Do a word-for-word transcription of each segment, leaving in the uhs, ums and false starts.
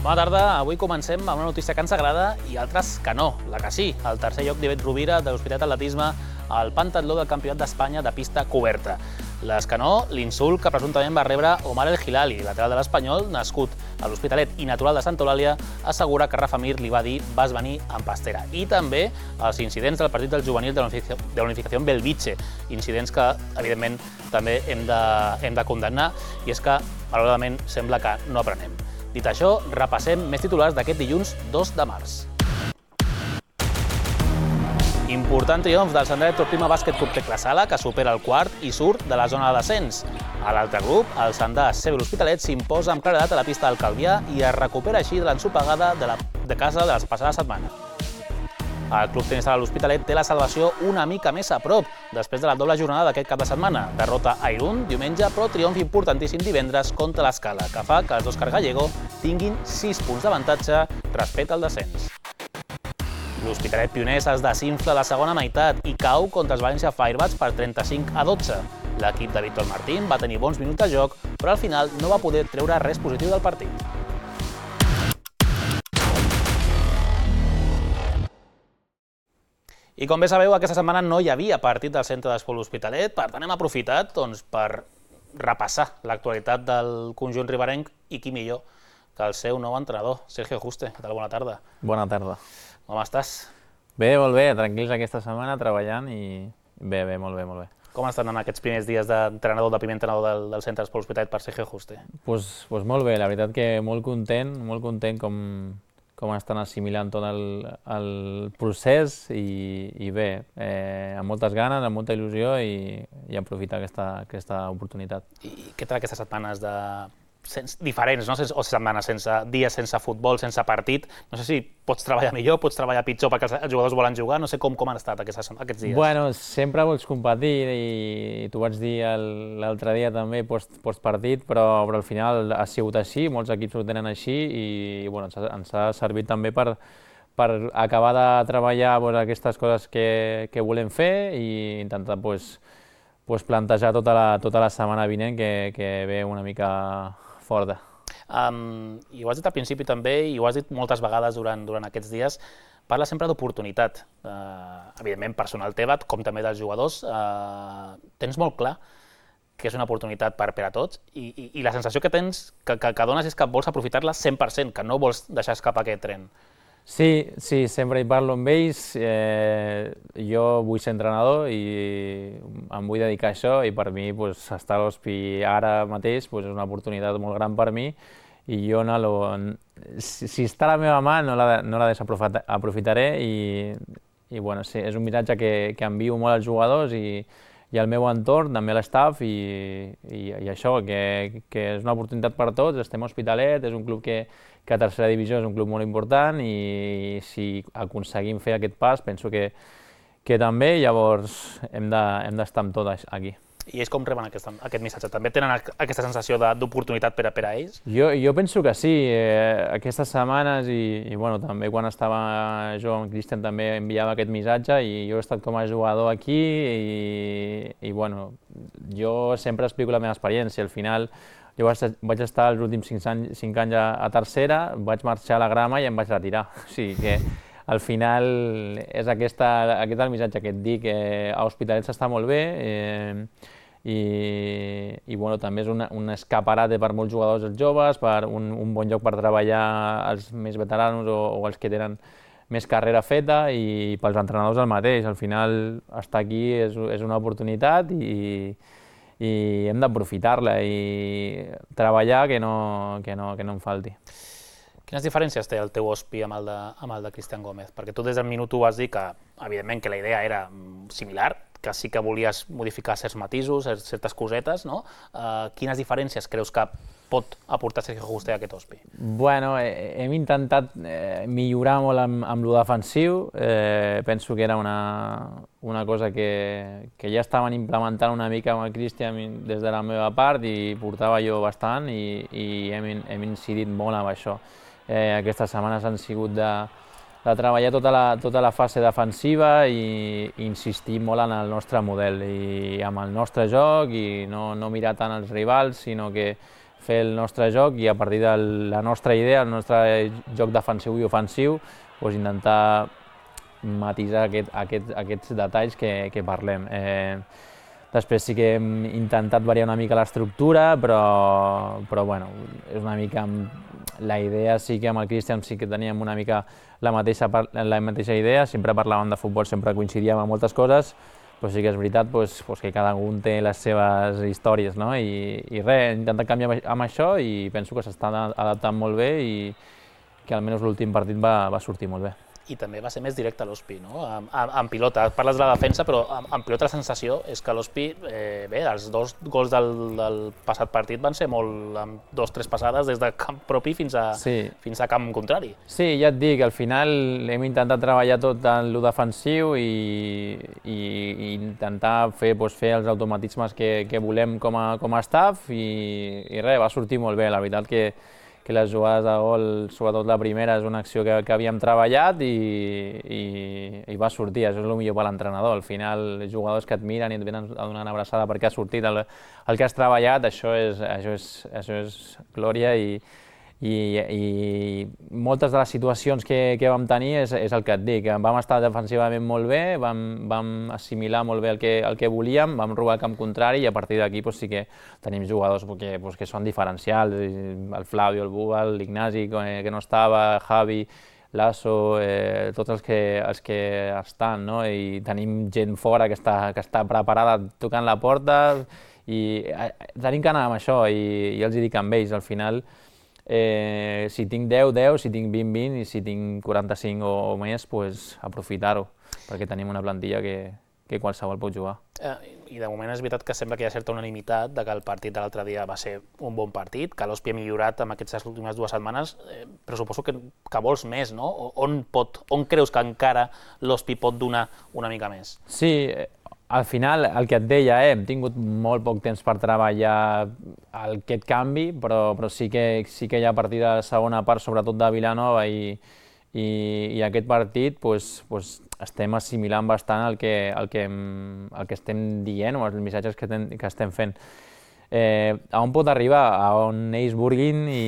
Bona tarda, avui comencem amb una notícia que ens agrada i altres que no, la que sí, el tercer lloc d'Ivet Rovira de l'Hospitalet Atletisme al pentatló del Campionat d'Espanya de pista coberta. Les que no, l'insult que presumptament va rebre Omar El Hilali, lateral de l'Espanyol, nascut a l'Hospitalet i natural de Santa Eulàlia, assegura que Rafa Mir li va dir vas venir amb pastera. I també els incidents del partit del juvenil de la Unificació Belvitge, incidents que, evidentment, també hem de, hem de condemnar, i és que, malauradament, sembla que no aprenem. Dit això, repassem més titulars d'aquest dilluns dos de març. Important triomf del Sandret Torprima Bàsquet Club Tecla Sala, que supera el quart i surt de la zona de descens. A l'altre grup, el Sandà Cebel Hospitalet s'imposa amb claredat a la pista del Calvià i es recupera així de l'ensopegada de, la, de casa de la passada setmana. El Club Tenis Sala l'Hospitalet té la salvació una mica més a prop, després de la doble jornada d'aquest cap de setmana. Derrota a Irún diumenge, però triomf importantíssim divendres contra l'Escala, que fa que els d'Òscar Gallego tinguin sis punts d'avantatge respecte al descens. L'Hospitalet Pioners es desinfla a la segona meitat i cau contra els València Firebats per trenta-cinc a dotze. L'equip de Víctor Martín va tenir bons minuts de joc, però al final no va poder treure res positiu del partit. I com bé sabeu, aquesta setmana no hi havia partit del Centre d'Esport L'Hospitalet, per tant hem aprofitat doncs, per repassar l'actualitat del conjunt riberenc i qui millor que el seu nou entrenador, Sergio Juste. Què tal? Bona tarda. Bona tarda. Com estàs? Bé, molt bé, tranquils aquesta setmana, treballant i bé, bé, molt bé, molt bé. Com estan en aquests primers dies d'entrenador, de primer entrenador del, del Centre d'Esport L'Hospitalet per Sergio Juste? Pues, pues molt bé, la veritat que molt content, molt content com, com estan assimilant tot el, el procés i, i bé, eh, amb moltes ganes, amb molta il·lusió i, i aprofitar aquesta, aquesta oportunitat. I què tal aquestes setmanes de... Sense, diferents, no? O setmanes sense dies sense futbol, sense partit. No sé si pots treballar millor, pots treballar pitjor perquè els jugadors volen jugar, no sé com, com han estat aquests, aquests dies. Bueno, sempre vols competir i, i t'ho vaig dir l'altre dia també postpartit, però, però al final ha sigut així, molts equips ho tenen així i, i bueno, ens, ha, ens ha servit també per, per acabar de treballar pues, aquestes coses que, que volem fer i intentar pues, pues, plantejar tota la, tota la setmana vinent que, que ve una mica forta. Um, I ho has dit al principi també, i ho has dit moltes vegades durant, durant aquests dies, parla sempre d'oportunitat, uh, evidentment personal teva, com també dels jugadors. Uh, tens molt clar que és una oportunitat per, per a tots i, i, i la sensació que tens, que, que, que dones és que vols aprofitar-la cent per cent, que no vols deixar escapar aquest tren. Sí, sí, sempre hi parlo amb ells, eh, jo vull ser entrenador i em vull dedicar a això i per mi pues, estar a l'Hospi ara mateix pues, és una oportunitat molt gran per mi i jo no lo, si, si està a la meva mà no la, no la desaprofitaré i, i bueno, sí, és un missatge que, que envio molt als jugadors i, i al meu entorn, també a l'estaf i, i, i això, que, que és una oportunitat per tots, estem a Hospitalet, és un club que que a tercera divisió és un club molt important i si aconseguim fer aquest pas penso que, que també llavors hem d'estar amb tot aquí. I ells com reben aquest, aquest missatge? També tenen aquesta sensació d'oportunitat per, per a ells? Jo, jo penso que sí. Eh, aquestes setmanes i, i bueno, també quan estava jo amb Cristian també enviava aquest missatge i jo he estat com a jugador aquí i, i bueno, jo sempre explico la meva experiència. Al final jo vaig estar els últims cinc anys, cinc anys a, a tercera, vaig marxar a la grama i em vaig retirar. O sigui que al final és aquesta, aquest el missatge que et dic, que a Hospitalet s'està molt bé eh, i, i bueno, també és una, un escaparate per molts jugadors els joves, per un, un bon lloc per treballar els més veteranos o, o els que tenen més carrera feta i pels entrenadors el mateix. Al final estar aquí és, és una oportunitat i i hem d'aprofitar-la i treballar que no, que, no, que no em falti. Quines diferències té el teu Hospi amb el de, amb el de Cristian Gómez? Perquè tu des del minut u vas dir que, evidentment, que la idea era similar, que sí que volies modificar certs matisos, certes cosetes, no? Uh, quines diferències creus que pot aportar Sergio Juste a aquest Hospi? Bueno, eh, hem intentat eh, millorar molt amb, amb lo defensiu. Eh, penso que era una, una cosa que, que ja estaven implementant una mica amb el Cristian des de la meva part i portava jo bastant i, i hem, hem incidit molt amb això. Eh, aquestes setmanes han sigut de, de treballar tota la, tota la fase defensiva i, i insistir molt en el nostre model i amb el nostre joc i no, no mirar tant els rivals, sinó que fer el nostre joc i a partir de la nostra idea, el nostre joc defensiu i ofensiu, doncs intentar matisar aquest, aquest, aquests detalls que, que parlem. Eh, després sí que hem intentat variar una mica l'estructura, però, però bueno, és una mica... La idea sí que amb el Cristian sí que teníem una mica la mateixa, la mateixa idea, sempre parlàvem de futbol, sempre coincidíem en moltes coses, però sí que és veritat doncs, doncs que cada un té les seves històries, no? I, i res, intentant canviar amb això i penso que s'està adaptant molt bé i que almenys l'últim partit va, va sortir molt bé. I també va ser més directe a l'Hospi, no? En, en, en pilota, parles de la defensa, però en, en pilota la sensació és que l'Hospi, eh, bé, els dos gols del, del passat partit van ser molt, amb dos, tres passades des de camp propi fins a, sí. fins a camp contrari. Sí, ja et dic, al final hem intentat treballar tot en lo defensiu i, i, i intentar fer, doncs, fer els automatismes que, que volem com a, com a staff i, i res, va sortir molt bé, la veritat que que les jugades de gol, sobretot la primera, és una acció que, que havíem treballat i, i, i va sortir, això és el millor per l'entrenador. Al final, jugadors que et miren i et venen a donar una abraçada perquè ha sortit el, el que has treballat, això és, això és, això és glòria i, i, i moltes de les situacions que, que vam tenir és, és el que et dic. Vam estar defensivament molt bé, vam, vam assimilar molt bé el que, el que volíem, vam robar el camp contrari i a partir d'aquí doncs, sí que tenim jugadors que, doncs, que són diferencials, el Flavio, el Búbal, l'Ignasi, que, que no estava, Javi, Lasso, eh, tots els que, els que estan, no? I tenim gent fora que està, que està preparada tocant la porta i eh, tenim que anar amb això i, i els hi dic amb ells, al final Eh, si tinc deu, deu, si tinc vint, vint i si tinc quaranta-cinc o, o més, pues, aprofitar-ho, perquè tenim una plantilla que, que qualsevol pot jugar. Eh, I de moment és veritat que sembla que hi ha certa unanimitat de que el partit de l'altre dia va ser un bon partit, que l'Hospi ha millorat en aquestes últimes dues setmanes, eh, però suposo que, que vols més, no? On, pot, on creus que encara l'Hospi pot donar una mica més? Sí, al final, el que et deia, eh, hem tingut molt poc temps per treballar aquest canvi, però, però sí, que, sí que ja a partir de la segona part, sobretot de Vilanova i, i, i aquest partit, pues, pues, estem assimilant bastant el que, el, que, el que estem dient o els missatges que, ten, que estem fent. Eh, a on pot arribar? A on ells vulguin i,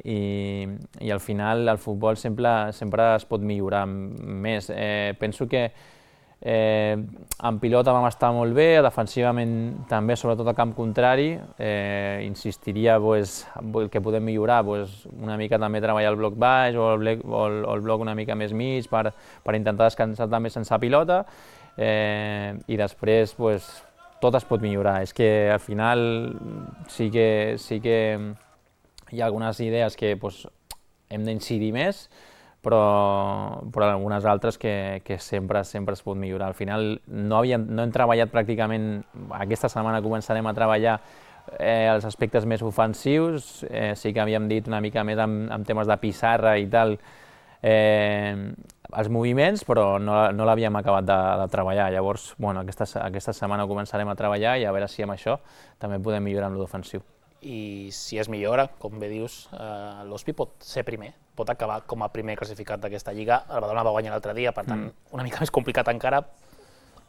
i, i al final el futbol sempre, sempre es pot millorar més. Eh, penso que Eh, en pilota vam estar molt bé, defensivament també, sobretot a camp contrari. Eh, insistiria pues, que podem millorar, pues, una mica també treballar el bloc baix o el, bloc, o el, o el bloc una mica més mig per, per intentar descansar també sense pilota. Eh, I després pues, tot es pot millorar. És que al final sí que, sí que hi ha algunes idees que pues, hem d'incidir més, però, però algunes altres que, que sempre, sempre es pot millorar. Al final no, havíem, no hem treballat pràcticament, aquesta setmana començarem a treballar eh, els aspectes més ofensius, eh, sí que havíem dit una mica més amb, amb temes de pissarra i tal, eh, els moviments, però no, no l'havíem acabat de, de treballar. Llavors, bueno, aquesta, aquesta setmana començarem a treballar i a veure si amb això també podem millorar en l'ofensiu. I si es millora, com bé dius, eh, l'Hospi pot ser primer, pot acabar com a primer classificat d'aquesta lliga. El Badalona va guanyar l'altre dia, per tant, mm. una mica més complicat encara.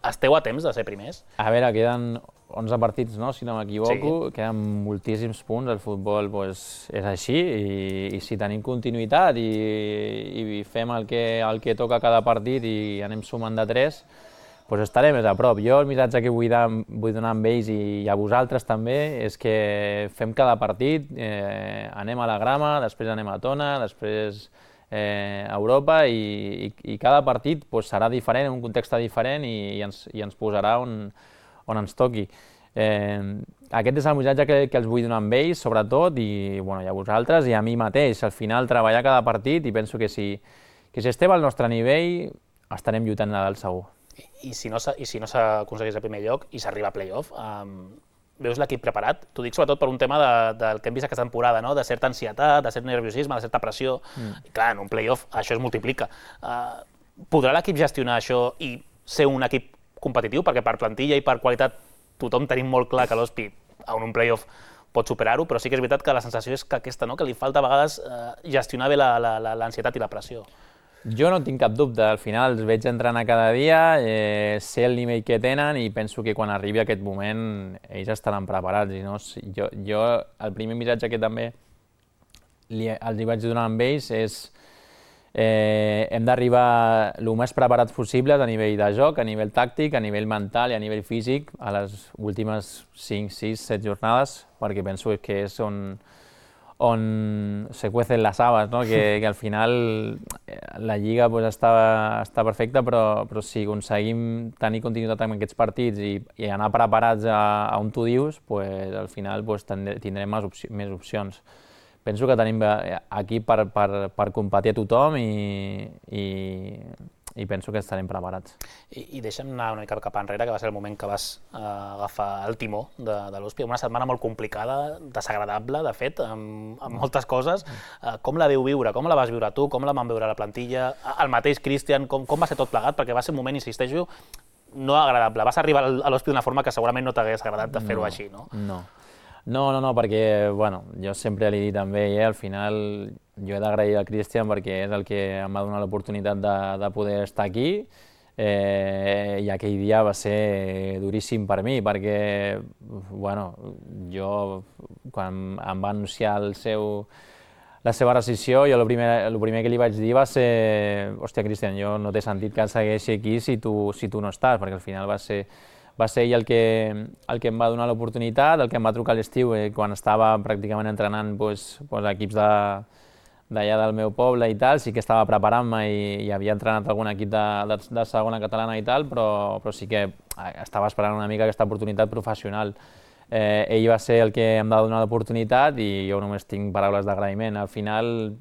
Esteu a temps de ser primers? A veure, queden onze partits, no? Si no m'equivoco, sí. Queden moltíssims punts, el futbol pues, és així, i, i si tenim continuïtat i, i fem el que, el que toca cada partit i anem sumant de tres, pues estaré més a prop. Jo el missatge que vull, de, vull donar amb ells i a vosaltres també és que fem cada partit, eh, anem a la grama, després anem a Tona, després eh, a Europa i, i, i cada partit pues, serà diferent, en un context diferent i, i, ens, i ens posarà on, on ens toqui. Eh, aquest és el missatge que, que els vull donar amb ells, sobretot, i, bueno, i a vosaltres i a mi mateix. Al final, treballar cada partit i penso que si, que si estem al nostre nivell estarem lluitant a dalt segur. I si no, i si no s'aconsegueix el primer lloc i s'arriba a play-off, um, veus l'equip preparat? T'ho dic sobretot per un tema de, del que hem vist aquesta temporada, no? De certa ansietat, de cert nerviosisme, de certa pressió. Mm. I clar, en un play-off això es multiplica. Uh, podrà l'equip gestionar això i ser un equip competitiu? Perquè per plantilla i per qualitat tothom tenim molt clar que l'Hospi en un play-off pot superar-ho, però sí que és veritat que la sensació és que aquesta, no? Que li falta a vegades uh, gestionar bé l'ansietat i la pressió. Jo no tinc cap dubte, al final els veig entrenar cada dia, eh, sé el nivell que tenen i penso que quan arribi aquest moment ells estaran preparats. I no, jo, jo el primer missatge que també li, els hi vaig donar amb ells és eh, hem d'arribar el més preparats possibles a nivell de joc, a nivell tàctic, a nivell mental i a nivell físic a les últimes cinc, sis, set jornades, perquè penso que és on on se cuecen les habas, no? que, que al final la Lliga pues, està, està perfecta, però, però si aconseguim tenir continuïtat en aquests partits i, i anar preparats a, a on tu dius, pues, al final pues, tindrem més, opci més opcions. Penso que tenim aquí per, per, per competir a tothom i, i, i penso que estarem preparats. I, i deixa'm anar una mica cap enrere, que va ser el moment que vas eh, agafar el timó de, de l'U S P, una setmana molt complicada, desagradable, de fet, amb, amb moltes coses. Eh, com la veu viure? Com la vas viure tu? Com la van veure la plantilla? El mateix Cristian, com, com va ser tot plegat? Perquè va ser un moment, insisteixo, no agradable. Vas arribar a l'U S P d'una forma que segurament no t'hagués agradat de fer-ho no, així, no? No. No, no, no, perquè, bueno, jo sempre li he dit també, eh, al final jo he d'agrair al Cristian perquè és el que em va donar l'oportunitat de, de poder estar aquí, eh, i aquell dia va ser duríssim per mi, perquè, bueno, jo, quan em va anunciar el seu, la seva rescissió, jo el primer, el primer que li vaig dir va ser hòstia, Cristian, jo no té sentit que segueixi aquí si tu, si tu no estàs, perquè al final va ser va ser ell el que, el que em va donar l'oportunitat, el que em va trucar a l'estiu eh, quan estava pràcticament entrenant pues, pues, equips d'allà del meu poble i tal, sí que estava preparant-me i, i havia entrenat algun equip de, de, de segona catalana i tal, però, però sí que estava esperant una mica aquesta oportunitat professional. Eh, ell va ser el que em va donar l'oportunitat i jo només tinc paraules d'agraïment. Al final,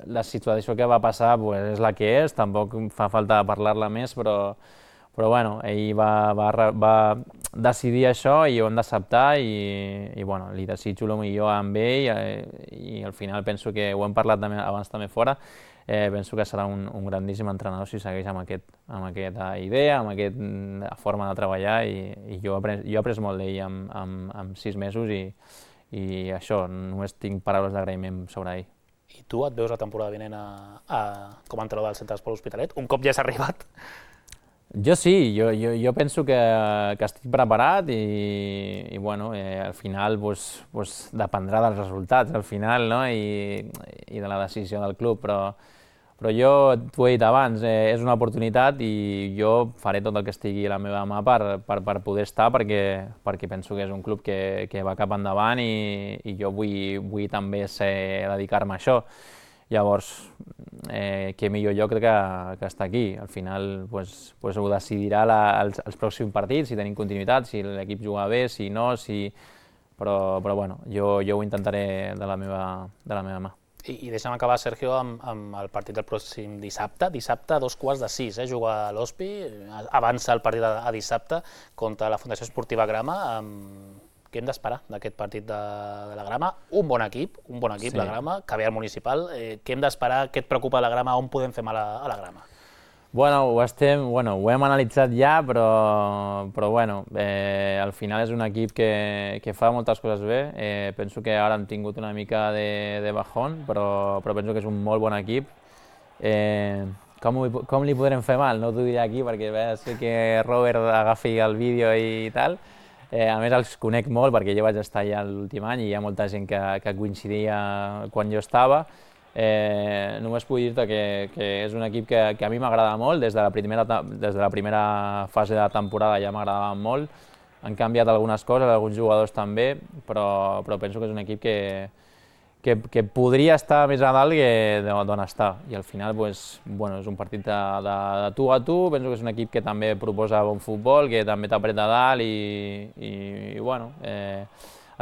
la situació que va passar pues, és la que és, tampoc fa falta parlar-la més, però Però bueno, ell va, va, va decidir això i ho hem d'acceptar i, i bueno, li desitjo el millor amb ell eh, i al final penso que ho hem parlat també, abans també fora, eh, penso que serà un, un grandíssim entrenador si segueix amb, aquest, amb aquesta idea, amb aquesta forma de treballar i, i jo, he après, jo he après molt d'ell en, en, en sis mesos i, i això, només tinc paraules d'agraïment sobre ell. I tu et veus la temporada vinent a, a, com a entrenador del Centre d'Esport L'Hospitalet? Un cop ja has arribat? Jo sí, jo, jo, jo penso que, que estic preparat i, i bueno, eh, al final pues, pues, dependrà dels resultats, al final, no? I, i de la decisió del club, però, però jo t'ho he dit abans, eh, és una oportunitat i jo faré tot el que estigui a la meva mà per, per, per poder estar perquè, perquè penso que és un club que, que va cap endavant i, i jo vull, vull també ser, dedicar-me a això. Llavors, eh, què millor lloc que, que estar aquí. Al final pues, pues ho decidirà la, els, els pròxims partits, si tenim continuïtat, si l'equip juga bé, si no, si... però, però bueno, jo, jo ho intentaré de la meva, de la meva mà. I, i deixa'm acabar, Sergio, amb, amb el partit del pròxim dissabte. Dissabte a dos quarts de sis, eh, juga a l'O S P I, avança el partit a, a dissabte contra la Fundació Esportiva Grama. Amb... Què hem d'esperar d'aquest partit de, de la Grama? Un bon equip, un bon equip, sí. La Grama, que ve al municipal. Eh, què hem d'esperar? Què et preocupa la Grama? On podem fer mal a, a la Grama? Bueno, ho, estem, bueno, ho hem analitzat ja, però, però bueno, eh, al final és un equip que, que fa moltes coses bé. Eh, penso que ara han tingut una mica de, de bajón, però, però penso que és un molt bon equip. Eh, com, com li podrem fer mal? No t'ho diré aquí perquè bé, sé que Robert agafi el vídeo i tal. Eh, a més, els conec molt perquè jo vaig estar allà l'últim any i hi ha molta gent que, que coincidia quan jo estava. Eh, només puc dir-te que, que és un equip que, que a mi m'agrada molt, des de, la primera, des de la primera fase de la temporada ja m'agradava molt. Han canviat algunes coses, alguns jugadors també, però, però penso que és un equip que, que, que podria estar més a dalt que d'on està. I al final pues, bueno, és un partit de, de, de tu a tu, penso que és un equip que també proposa bon futbol, que també t'apreta a dalt i, i, i bueno, eh,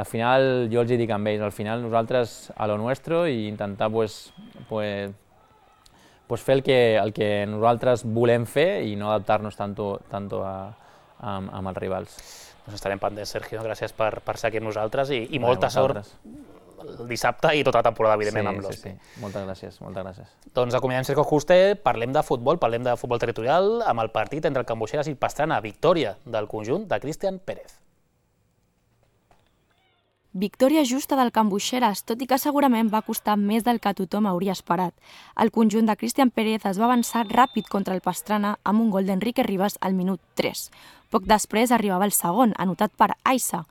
al final jo els hi dic amb ells, al final nosaltres a lo nuestro i intentar pues, pues, pues fer el que, el que nosaltres volem fer i no adaptar-nos tanto, tanto a, a, amb els rivals. Doncs estarem pendents, Sergio, gràcies per, per ser aquí amb nosaltres i, i molta sort el dissabte i tota la temporada, evidentment, sí, amb l'O S P I. Sí, sí. Moltes gràcies, moltes gràcies. Doncs acomiadem Sergio Juste, parlem de futbol, parlem de futbol territorial, amb el partit entre el Can Boixeres i el Pastrana, victòria del conjunt de Cristian Pérez. Victòria justa del Can Buixeras, tot i que segurament va costar més del que tothom hauria esperat. El conjunt de Cristian Pérez es va avançar ràpid contra el Pastrana amb un gol d'Enrique Rivas al minut tres. Poc després arribava el segon, anotat per Aissa.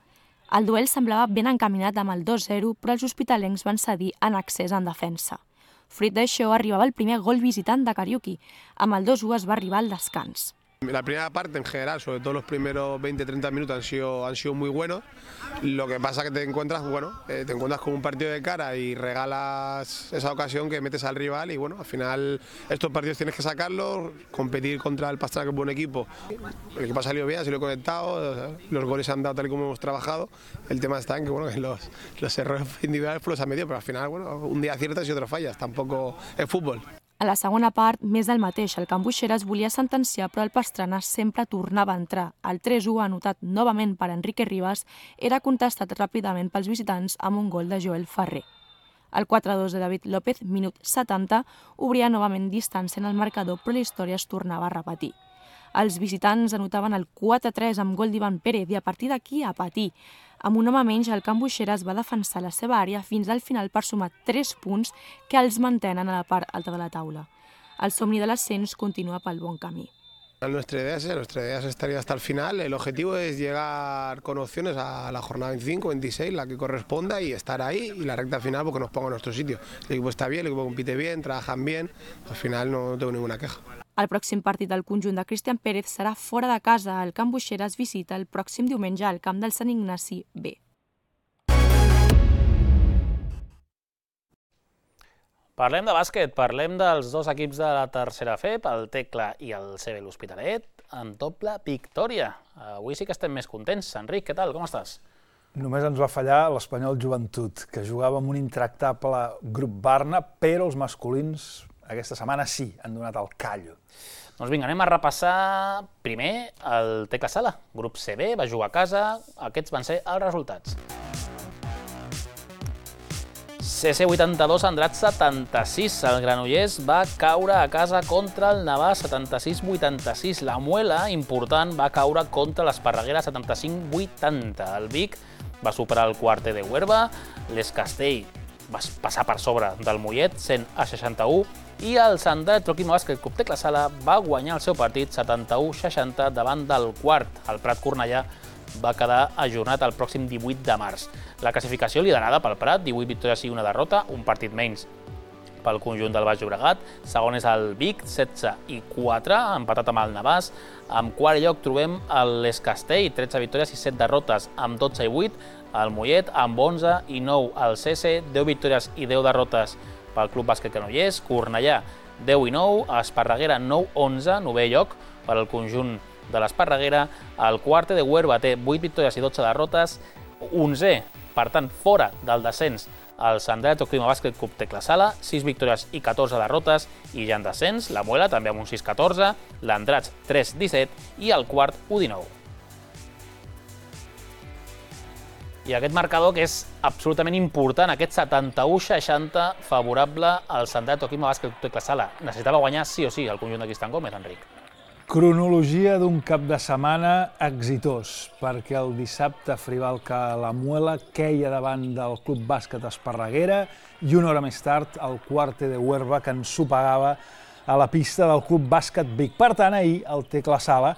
El duel semblava ben encaminat amb el dos zero, però els hospitalencs van cedir en accés en defensa. Fruit d'això arribava el primer gol visitant de Kariuki. Amb el dos u es va arribar al descans. La primera parte en general, sobre todo los primeros veinte treinta minutos han sido, han sido muy buenos. Lo que pasa es que te encuentras, bueno, eh, te encuentras con un partido de cara y regalas esa ocasión que metes al rival y bueno, al final estos partidos tienes que sacarlos, competir contra el Pastrana, que es un buen equipo. El equipo ha salido bien, ha salido conectado, los goles se han dado tal y como hemos trabajado. El tema está en que, bueno, que los, los errores individuales pues los han metido, pero al final, bueno, un día aciertas y otro fallas, tampoco es fútbol. A la segona part, més del mateix, el Can Buixeras volia sentenciar, però el Pastrana sempre tornava a entrar. El tres u, anotat novament per Enrique Rivas, era contestat ràpidament pels visitants amb un gol de Joel Ferrer. El quatre dos de David López, minut setanta, obria novament distància en el marcador, però la història es tornava a repetir. Els visitants anotaven el quatre tres amb gol d'Ivan Pérez i a partir d'aquí a patir. Amb un home menys, el Can Buixeras va defensar la seva àrea fins al final per sumar tres punts que els mantenen a la part alta de la taula. El somni de l'ascens continua pel bon camí. Nuestra idea es esa, nuestra idea es estar hasta el final. El objetivo es llegar con opciones a la jornada veinticinco, veintiséis, la que corresponda, y estar ahí y la recta final porque nos ponga en nuestro sitio. El equipo está bien, el equipo compite bien, trabajan bien, al final no tengo ninguna queja. El pròxim partit del conjunt de Cristian Pérez serà fora de casa. El Can Buixeras visita el pròxim diumenge al camp del Sant Ignasi B. Parlem de bàsquet, parlem dels dos equips de la tercera F E P, el Tecla i el C B l'Hospitalet, amb doble victòria. Avui sí que estem més contents. Enric, què tal? Com estàs? Només ens va fallar l'Espanyol Joventut, que jugava amb un intractable grup Barna, però els masculins aquesta setmana sí, han donat el callo. Doncs vinga, anem a repassar primer el Tecla Sala. Grup C B va jugar a casa, aquests van ser els resultats. C C vuitanta-dos, Andratx setanta-sis. El Granollers va caure a casa contra el Navàs setanta-sis vuitanta-sis. La Muela, important, va caure contra l'Esparreguera setanta-cinc vuitanta. El Vic va superar el Quarter de Huerva. L'Escastell va passar per sobre del Mollet, cent a seixanta-u. I el Sant Electroquima Bàsquet Club Tecla Sala va guanyar el seu partit setanta-u seixanta davant del Quart. El Prat Cornellà va quedar ajornat el pròxim divuit de març. La classificació liderada pel Prat, divuit victòries i una derrota, un partit menys pel conjunt del Baix Llobregat. Segon és el Vic, setze i quatre, empatat amb el Navàs. En quart lloc trobem l'Escastell, tretze victòries i set derrotes, amb dotze i vuit. El Mollet, amb onze i nou. El C C, deu victòries i deu derrotes pel Club Bàsquet Granollers. Cornellà, deu i nou. Esparreguera, nou onze, novè lloc per al conjunt de l'Esparreguera. El Quarter de Huerva té vuit victòries i dotze derrotes, onzè, per tant, fora del descens, el Sant Electroquima Bàsquet Club Tecla Sala, sis victòries i catorze derrotes, i ja en descens, la Muela també amb un sis catorze, l'Andratx tres disset i el Quart u dinou. I aquest marcador que és absolutament important, aquest setanta-u seixanta favorable al Sant Electroquima Bàsquet Club Tecla Sala. Necessitava guanyar sí o sí el conjunt de Cristian Gómez, Enric. Cronologia d'un cap de setmana exitós, perquè el dissabte Frivalca la Muela queia davant del Club Bàsquet Esparreguera i una hora més tard el Quarter de Huerva que ensopegava a la pista del Club Bàsquet Vic. Per tant, ahir el Tecla Sala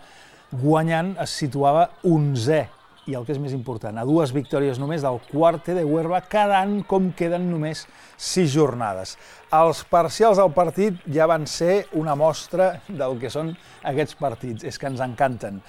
guanyant es situava onzè i el que és més important, a dues victòries només del Quarter de Huerva, quedant com queden només sis jornades. Els parcials del partit ja van ser una mostra del que són aquests partits, és que ens encanten.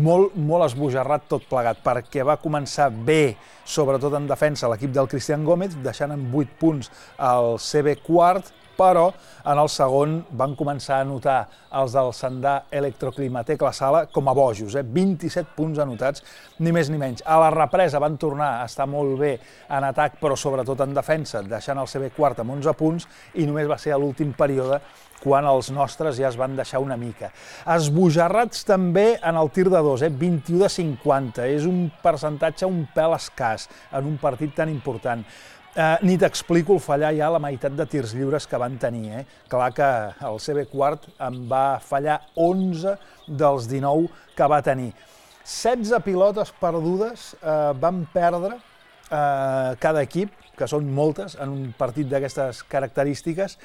Molt, molt esbojarrat tot plegat, perquè va començar bé, sobretot en defensa, l'equip del Cristian Gómez, deixant en vuit punts el C B Quart, però en el segon van començar a anotar els del Sandà Electroclima Tecla Sala com a bojos, eh? vint-i-set punts anotats, ni més ni menys. A la represa van tornar a estar molt bé en atac, però sobretot en defensa, deixant el C B Quart amb onze punts, i només va ser a l'últim període quan els nostres ja es van deixar una mica. Esbojarrats també en el tir de dos, eh? vint-i-u de cinquanta, és un percentatge un pèl escàs en un partit tan important. Eh, ni t'explico el fallar ja la meitat de tirs lliures que van tenir. Eh? Clar que el C B Quart en va fallar onze dels dinou que va tenir. setze pilotes perdudes eh, van perdre cada equip, que són moltes en un partit d'aquestes característiques,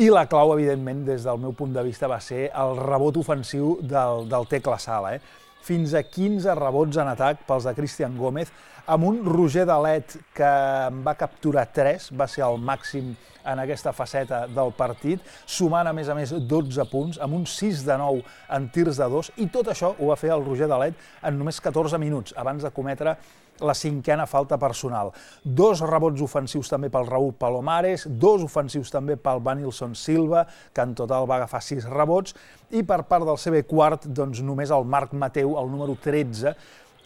i la clau, evidentment, des del meu punt de vista, va ser el rebot ofensiu del, del Tecla Sala. Eh? Fins a quinze rebots en atac pels de Cristian Gómez, amb un Roger Dalet que en va capturar tres, va ser el màxim en aquesta faceta del partit, sumant a més a més dotze punts, amb un sis de nou en tirs de dos, i tot això ho va fer el Roger Dalet en només catorze minuts, abans de cometre la cinquena falta personal. Dos rebots ofensius també pel Raúl Palomares, dos ofensius també pel Vanilson Silva, que en total va agafar sis rebots, i per part del C B quart, doncs només el Marc Mateu, el número tretze,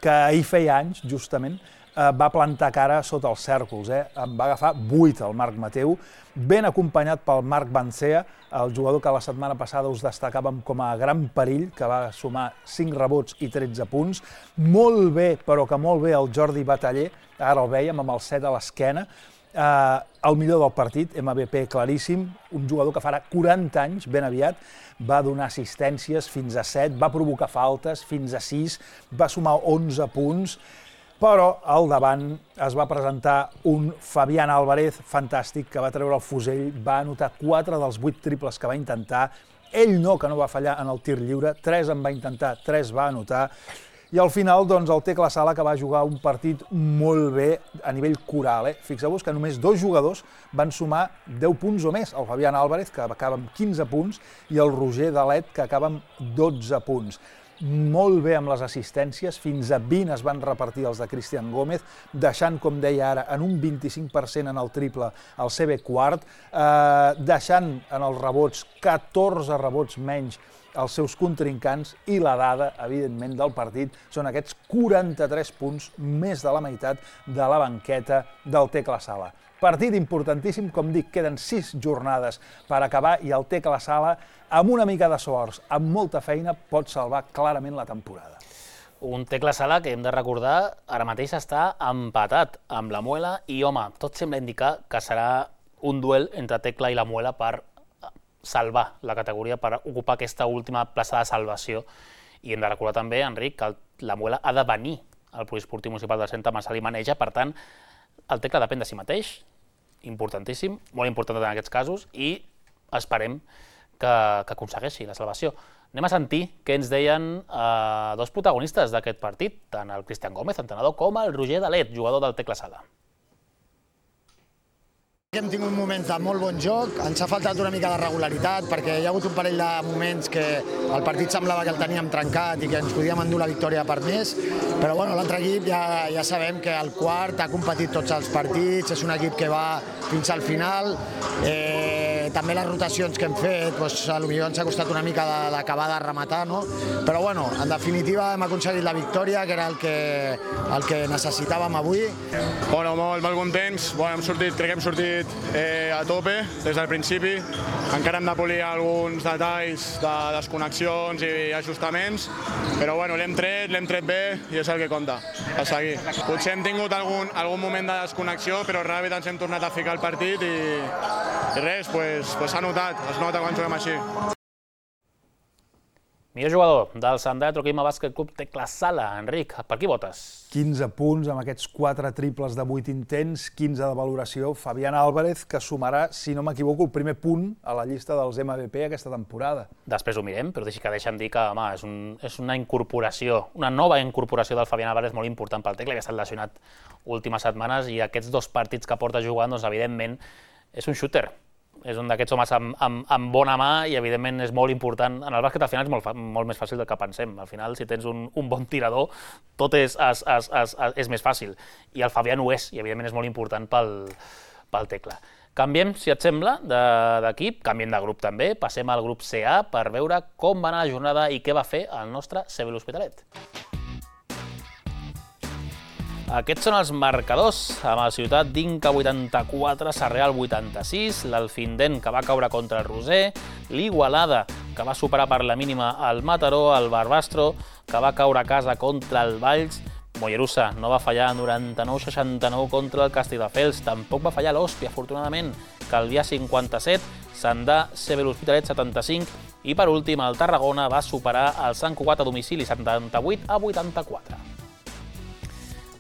que ahir feia anys, justament, va plantar cara sota els cèrcols. En va agafar vuit el Marc Mateu, ben acompanyat pel Marc Bancea, el jugador que la setmana passada us destacàvem com a gran perill, que va sumar cinc rebots i tretze punts. Molt bé, però que molt bé, el Jordi Bataller, ara el vèiem amb el set a l'esquena, el millor del partit, M V P claríssim, un jugador que farà quaranta anys, ben aviat, va donar assistències fins a set, va provocar faltes fins a sis, va sumar onze punts, però al davant es va presentar un Fabián Álvarez fantàstic que va treure el fusell, va anotar quatre dels vuit triples que va intentar, ell no, que no va fallar en el tir lliure, tres en va intentar, tres va anotar, i al final, doncs, el Tecla Sala, que va jugar un partit molt bé a nivell coral. Eh? Fixeu-vos que només dos jugadors van sumar deu punts o més. El Fabián Álvarez, que acaba amb quinze punts, i el Roger Dalet, que acaba amb dotze punts. Molt bé amb les assistències, fins a vint es van repartir els de Cristian Gómez, deixant, com deia ara, en un vint-i-cinc per cent en el triple el C B quart, eh, deixant en els rebots catorze rebots menys els seus contrincants, i la dada, evidentment, del partit són aquests quaranta-tres punts, més de la meitat de la banqueta del Tecla Sala. Partit importantíssim, com dic, queden sis jornades per acabar i el Tecla Sala, amb una mica de sort, amb molta feina, pot salvar clarament la temporada. Un Tecla Sala que hem de recordar ara mateix està empatat amb la Muela i, home, tot sembla indicar que serà un duel entre Tecla i la Muela per salvar la categoria, per ocupar aquesta última plaça de salvació. I hem de recordar també, Enric, que la Muela ha de venir al Poliesportiu Municipal del Centre Marçal i Maneja, per tant, el Tecla depèn de si mateix, importantíssim, molt important en aquests casos, i esperem que, que aconsegueixi la salvació. Anem a sentir què ens deien eh, dos protagonistes d'aquest partit, tant el Cristian Gómez, entrenador, com el Roger Dalet, jugador del Tecla Sala. Hem tingut moments de molt bon joc, ens ha faltat una mica de regularitat perquè hi ha hagut un parell de moments que el partit semblava que el teníem trencat i que ens podíem endur la victòria per més, però bueno, l'altre equip ja, ja sabem que el quart ha competit tots els partits, és un equip que va fins al final, eh, també les rotacions que hem fet, doncs, potser ens ha costat una mica d'acabar de rematar, no? Però bueno, en definitiva hem aconseguit la victòria, que era el que, el que necessitàvem avui. Bueno, molt, molt contents, bueno, hem sortit, crec que hem sortit Eh, a tope des del principi, encara hem de polir alguns detalls de desconnexions i ajustaments, però bueno, l'hem tret, l'hem tret bé i és el que compta, a seguir. Potser hem tingut algun, algun moment de desconnexió, però ràpid ens hem tornat a ficar al partit i, i res, pues, pues s'ha notat, es nota quan juguem així. Millor jugador del Sant Andreu Troquima Bàsquet Club Tecla Sala. Enric, per qui votes? quinze punts amb aquests quatre triples de vuit intents, quinze de valoració. Fabián Álvarez, que sumarà, si no m'equivoco, el primer punt a la llista dels M V P aquesta temporada. Després ho mirem, però deixi que deixa'm dir que home, és, un, és una incorporació, una nova incorporació del Fabián Álvarez molt important pel Tecla, que ha estat lesionat últimes setmanes, i aquests dos partits que porta jugant, doncs, evidentment, és un shooter. És un d'aquests homes amb, amb, amb bona mà i, evidentment, és molt important. En el bàsquet, al final, és molt, molt més fàcil del que pensem. Al final, si tens un, un bon tirador, tot és, és, és, és, és més fàcil. I el Fabián ho és, i, evidentment, és molt important pel, pel Tecla. Canviem, si et sembla, d'equip, canviem de grup també, passem al grup C A per veure com va anar la jornada i què va fer el nostre C B l'Hospitalet. Aquests són els marcadors, amb el Ciutat d'Inca vuitanta-quatre, Sarrià vuitanta-sis, l'Alfindent, que va caure contra el Roser, l'Igualada, que va superar per la mínima el Mataró, el Barbastro, que va caure a casa contra el Valls, Mollerussa no va fallar noranta-nou a seixanta-nou contra el Castelldefels, tampoc va fallar l'Hòstia, afortunadament, Calvià cinquanta-set, Sandà, C B l'Hospitalet setanta-cinc, i per últim el Tarragona va superar el Sant Cugat a domicili setanta-vuit a vuitanta-quatre.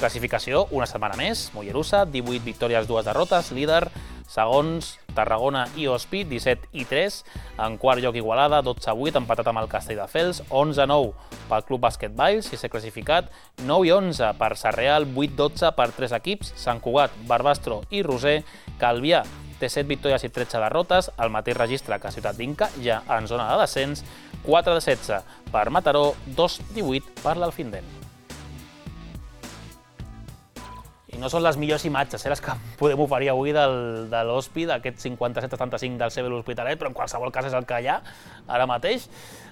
Classificació, una setmana més, Mollerussa, divuit victòries, dues derrotes, líder, segons Tarragona i Hospi, disset i tres, en quart lloc Igualada, dotze a vuit, empatat amb el Castelldefels, onze a nou pel Club Bàsquet Valls, sisè classificat, nou i onze per Sarreal, vuit a dotze per tres equips, Sant Cugat, Barbastro i Roser, Calvià té set victòries i tretze derrotes, el mateix registre que Ciutat d'Inca, ja en zona de descens, quatre de setze per Mataró, dos a divuit per l'Alfindent. I no són les millors imatges, eh, les que podem oferir avui del, de l'Hospi, d'aquest cinquanta-set a setanta-cinc del C B l'Hospitalet, però en qualsevol cas és el que hi ha ara mateix.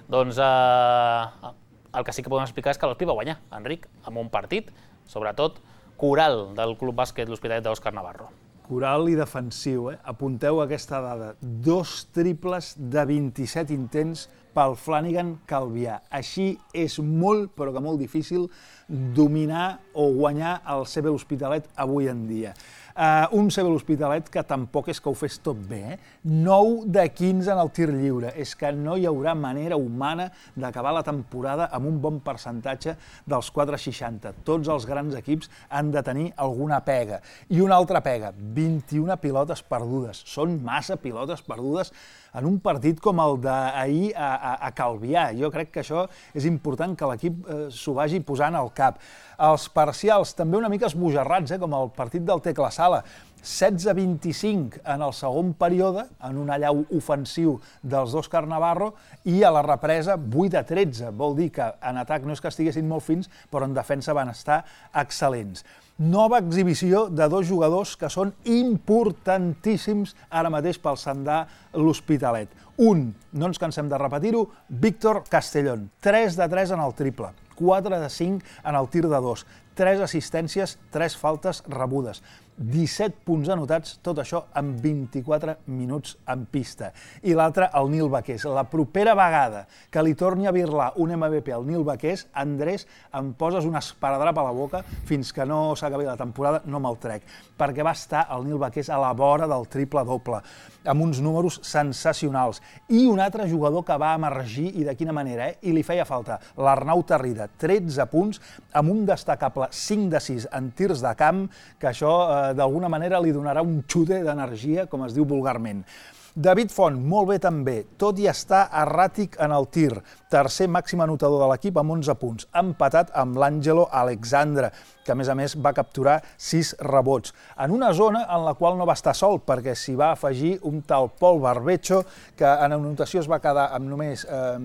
Doncs eh, el que sí que podem explicar és que l'Hospi va guanyar, Enric, amb un partit, sobretot coral del Club Bàsquet l'Hospitalet d'Òscar Navarro. Coral i defensiu, eh? Apunteu aquesta dada. Dos triples de vint-i-set intents pel Flanagan Calvià. Així és molt, però que molt difícil, dominar o guanyar el C B l'Hospitalet avui en dia. Uh, un C B l'Hospitalet que tampoc és que ho fes tot bé, eh? nou de quinze en el tir lliure. És que no hi haurà manera humana d'acabar la temporada amb un bon percentatge dels quatre coma seixanta. Tots els grans equips han de tenir alguna pega. I una altra pega, vint-i-una pilotes perdudes. Són massa pilotes perdudes en un partit com el d'ahir a, a, a Calvià. Jo crec que això és important que l'equip eh, s'ho vagi posant al cap. Els parcials també una mica esbojarrats, eh, com el partit del Tecla Sala. setze a vint-i-cinc en el segon període, en un allau ofensiu dels d'Òscar Navarro, i a la represa vuit a tretze. Vol dir que en atac no és que estiguessin molt fins, però en defensa van estar excel·lents. Nova exhibició de dos jugadors que són importantíssims ara mateix pel Sandà l'Hospitalet. Un, no ens cansem de repetir-ho, Víctor Castellón. tres de tres en el triple, quatre de cinc en el tir de dos, tres assistències, tres faltes rebudes, disset punts anotats, tot això en vint-i-quatre minuts en pista. I l'altre, el Nil Baqués. La propera vegada que li torni a birlar un M V P al Nil Baqués, Andrés, em poses un esparadrap a la boca fins que no s'acabi la temporada, no me'l trec, perquè va estar el Nil Baqués a la vora del triple-doble, amb uns números sensacionals. I un altre jugador que va emergir, i de quina manera, eh? I li feia falta, l'Arnau Tarrida, tretze punts, amb un destacable cinc de sis en tirs de camp, que això eh, d'alguna manera li donarà un xute d'energia, com es diu vulgarment. David Font, molt bé també, tot i estar erràtic en el tir, tercer màxim anotador de l'equip amb onze punts, empatat amb l'Àngelo Alexandre, que a més a més va capturar sis rebots, en una zona en la qual no va estar sol, perquè s'hi va afegir un tal Pol Barbecho, que en anotació es va quedar amb només eh,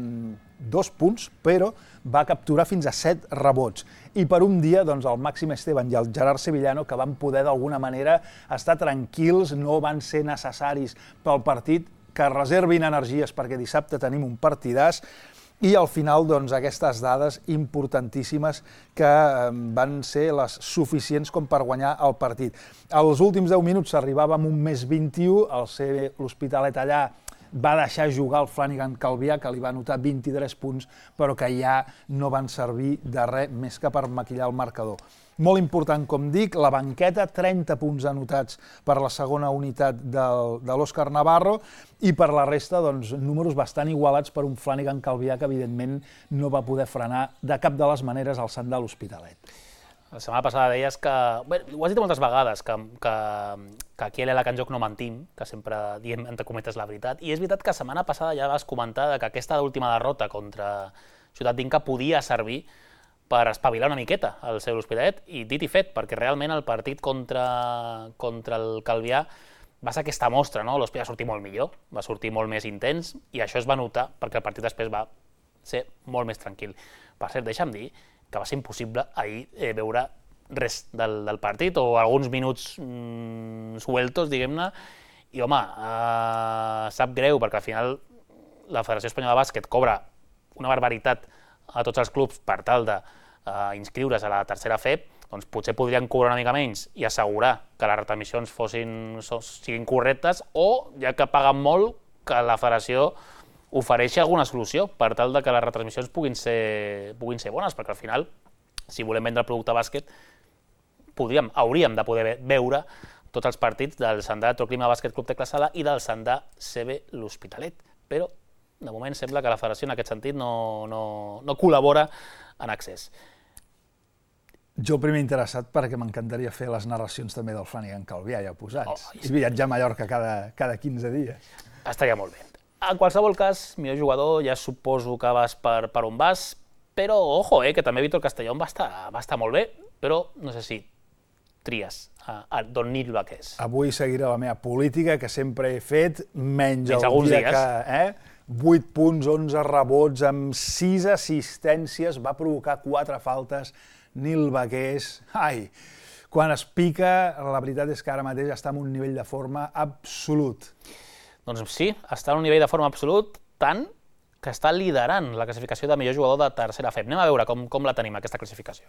dos punts, però va capturar fins a set rebots. I per un dia, doncs, el Màxim Esteban i el Gerard Sevillano, que van poder d'alguna manera estar tranquils, no van ser necessaris pel partit, que reservin energies perquè dissabte tenim un partidàs, i al final, doncs, aquestes dades importantíssimes que van ser les suficients com per guanyar el partit. Als últims deu minuts s'arribava amb un més vint-i-u, el C B l'Hospitalet allà va deixar jugar el Flanagan Calvià, que li va anotar vint-i-tres punts, però que ja no van servir de res més que per maquillar el marcador. Molt important, com dic, la banqueta, trenta punts anotats per la segona unitat del, de l'Òscar Navarro, i per la resta, doncs, números bastant igualats per un Flanagan Calvià que, evidentment, no va poder frenar de cap de les maneres el Sandà l'Hospitalet. La setmana passada deies que, bé, ho has dit moltes vegades, que, que, que aquí a l'Ela Can Joc no mentim, que sempre diem, entre cometes, la veritat, i és veritat que la setmana passada ja vas comentar que aquesta última derrota contra Ciutat d'Inca podia servir per espavilar una miqueta al seu l'Hospitalet, i dit i fet, perquè realment el partit contra, contra el Calvià va ser aquesta mostra, no? L'Hospitalet va sortir molt millor, va sortir molt més intens, i això es va notar perquè el partit després va ser molt més tranquil. Per cert, deixa'm dir que va ser impossible ahir eh, veure res del, del partit, o alguns minuts mm, sueltos, diguem-ne, i home, eh, sap greu, perquè al final la Federació Espanyola de Bàsquet cobra una barbaritat a tots els clubs per tal d'inscriure's a la tercera F E P, doncs potser podrien cobrar una mica menys i assegurar que les retransmissions fossin, siguin correctes, o, ja que paguen molt, que la Federació ofereixi alguna solució per tal de que les retransmissions puguin ser, puguin ser bones, perquè al final, si volem vendre el producte bàsquet, podríem, hauríem de poder veure tots els partits del Sandà Troclima Bàsquet Club Tecla Sala i del Sandà C B l'Hospitalet, però de moment sembla que la federació en aquest sentit no, no, no col·labora en accés. Jo primer interessat perquè m'encantaria fer les narracions també del Flanagan Calvià ja posats. I viatjar a Mallorca cada quinze dies. Estaria molt bé. En qualsevol cas, millor jugador, ja suposo que vas per on vas, però ojo, que també Víctor Castellón va estar molt bé, però no sé si tries a Don Nil Vaqués. Avui seguiré la meva política, que sempre he fet, menys el dia que... vuit punts, onze rebots, amb sis assistències, va provocar quatre faltes, Nil Vaqués. Ai, quan es pica, la veritat és que ara mateix està en un nivell de forma absolut. Doncs sí, està en un nivell de forma absolut, tant que està liderant la classificació de millor jugador de tercera F E P. Anem a veure com la tenim, aquesta classificació.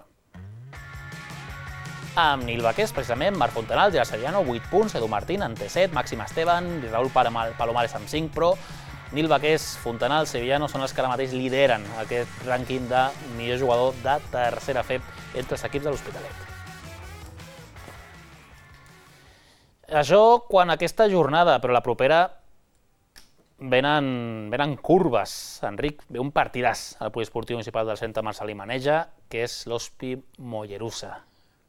Amb Nil Vaqués, precisament, Marc Fontanals, Gerard Sevillano, vuit punts, Edu Martín, en té set, Màxim Esteban i Raúl Palomares amb cinc, però Nil Vaqués, Fontanals, Sevillano són els que ara mateix lideren aquest rànquing de millor jugador de tercera F E P entre els equips de l'Hospitalet. Això quan aquesta jornada, però la propera, venen curves. Enric, ve un partidàs al Poliesportiu Municipal del Centre Marcelí Maneja, que és l'Hospi Mollerussa.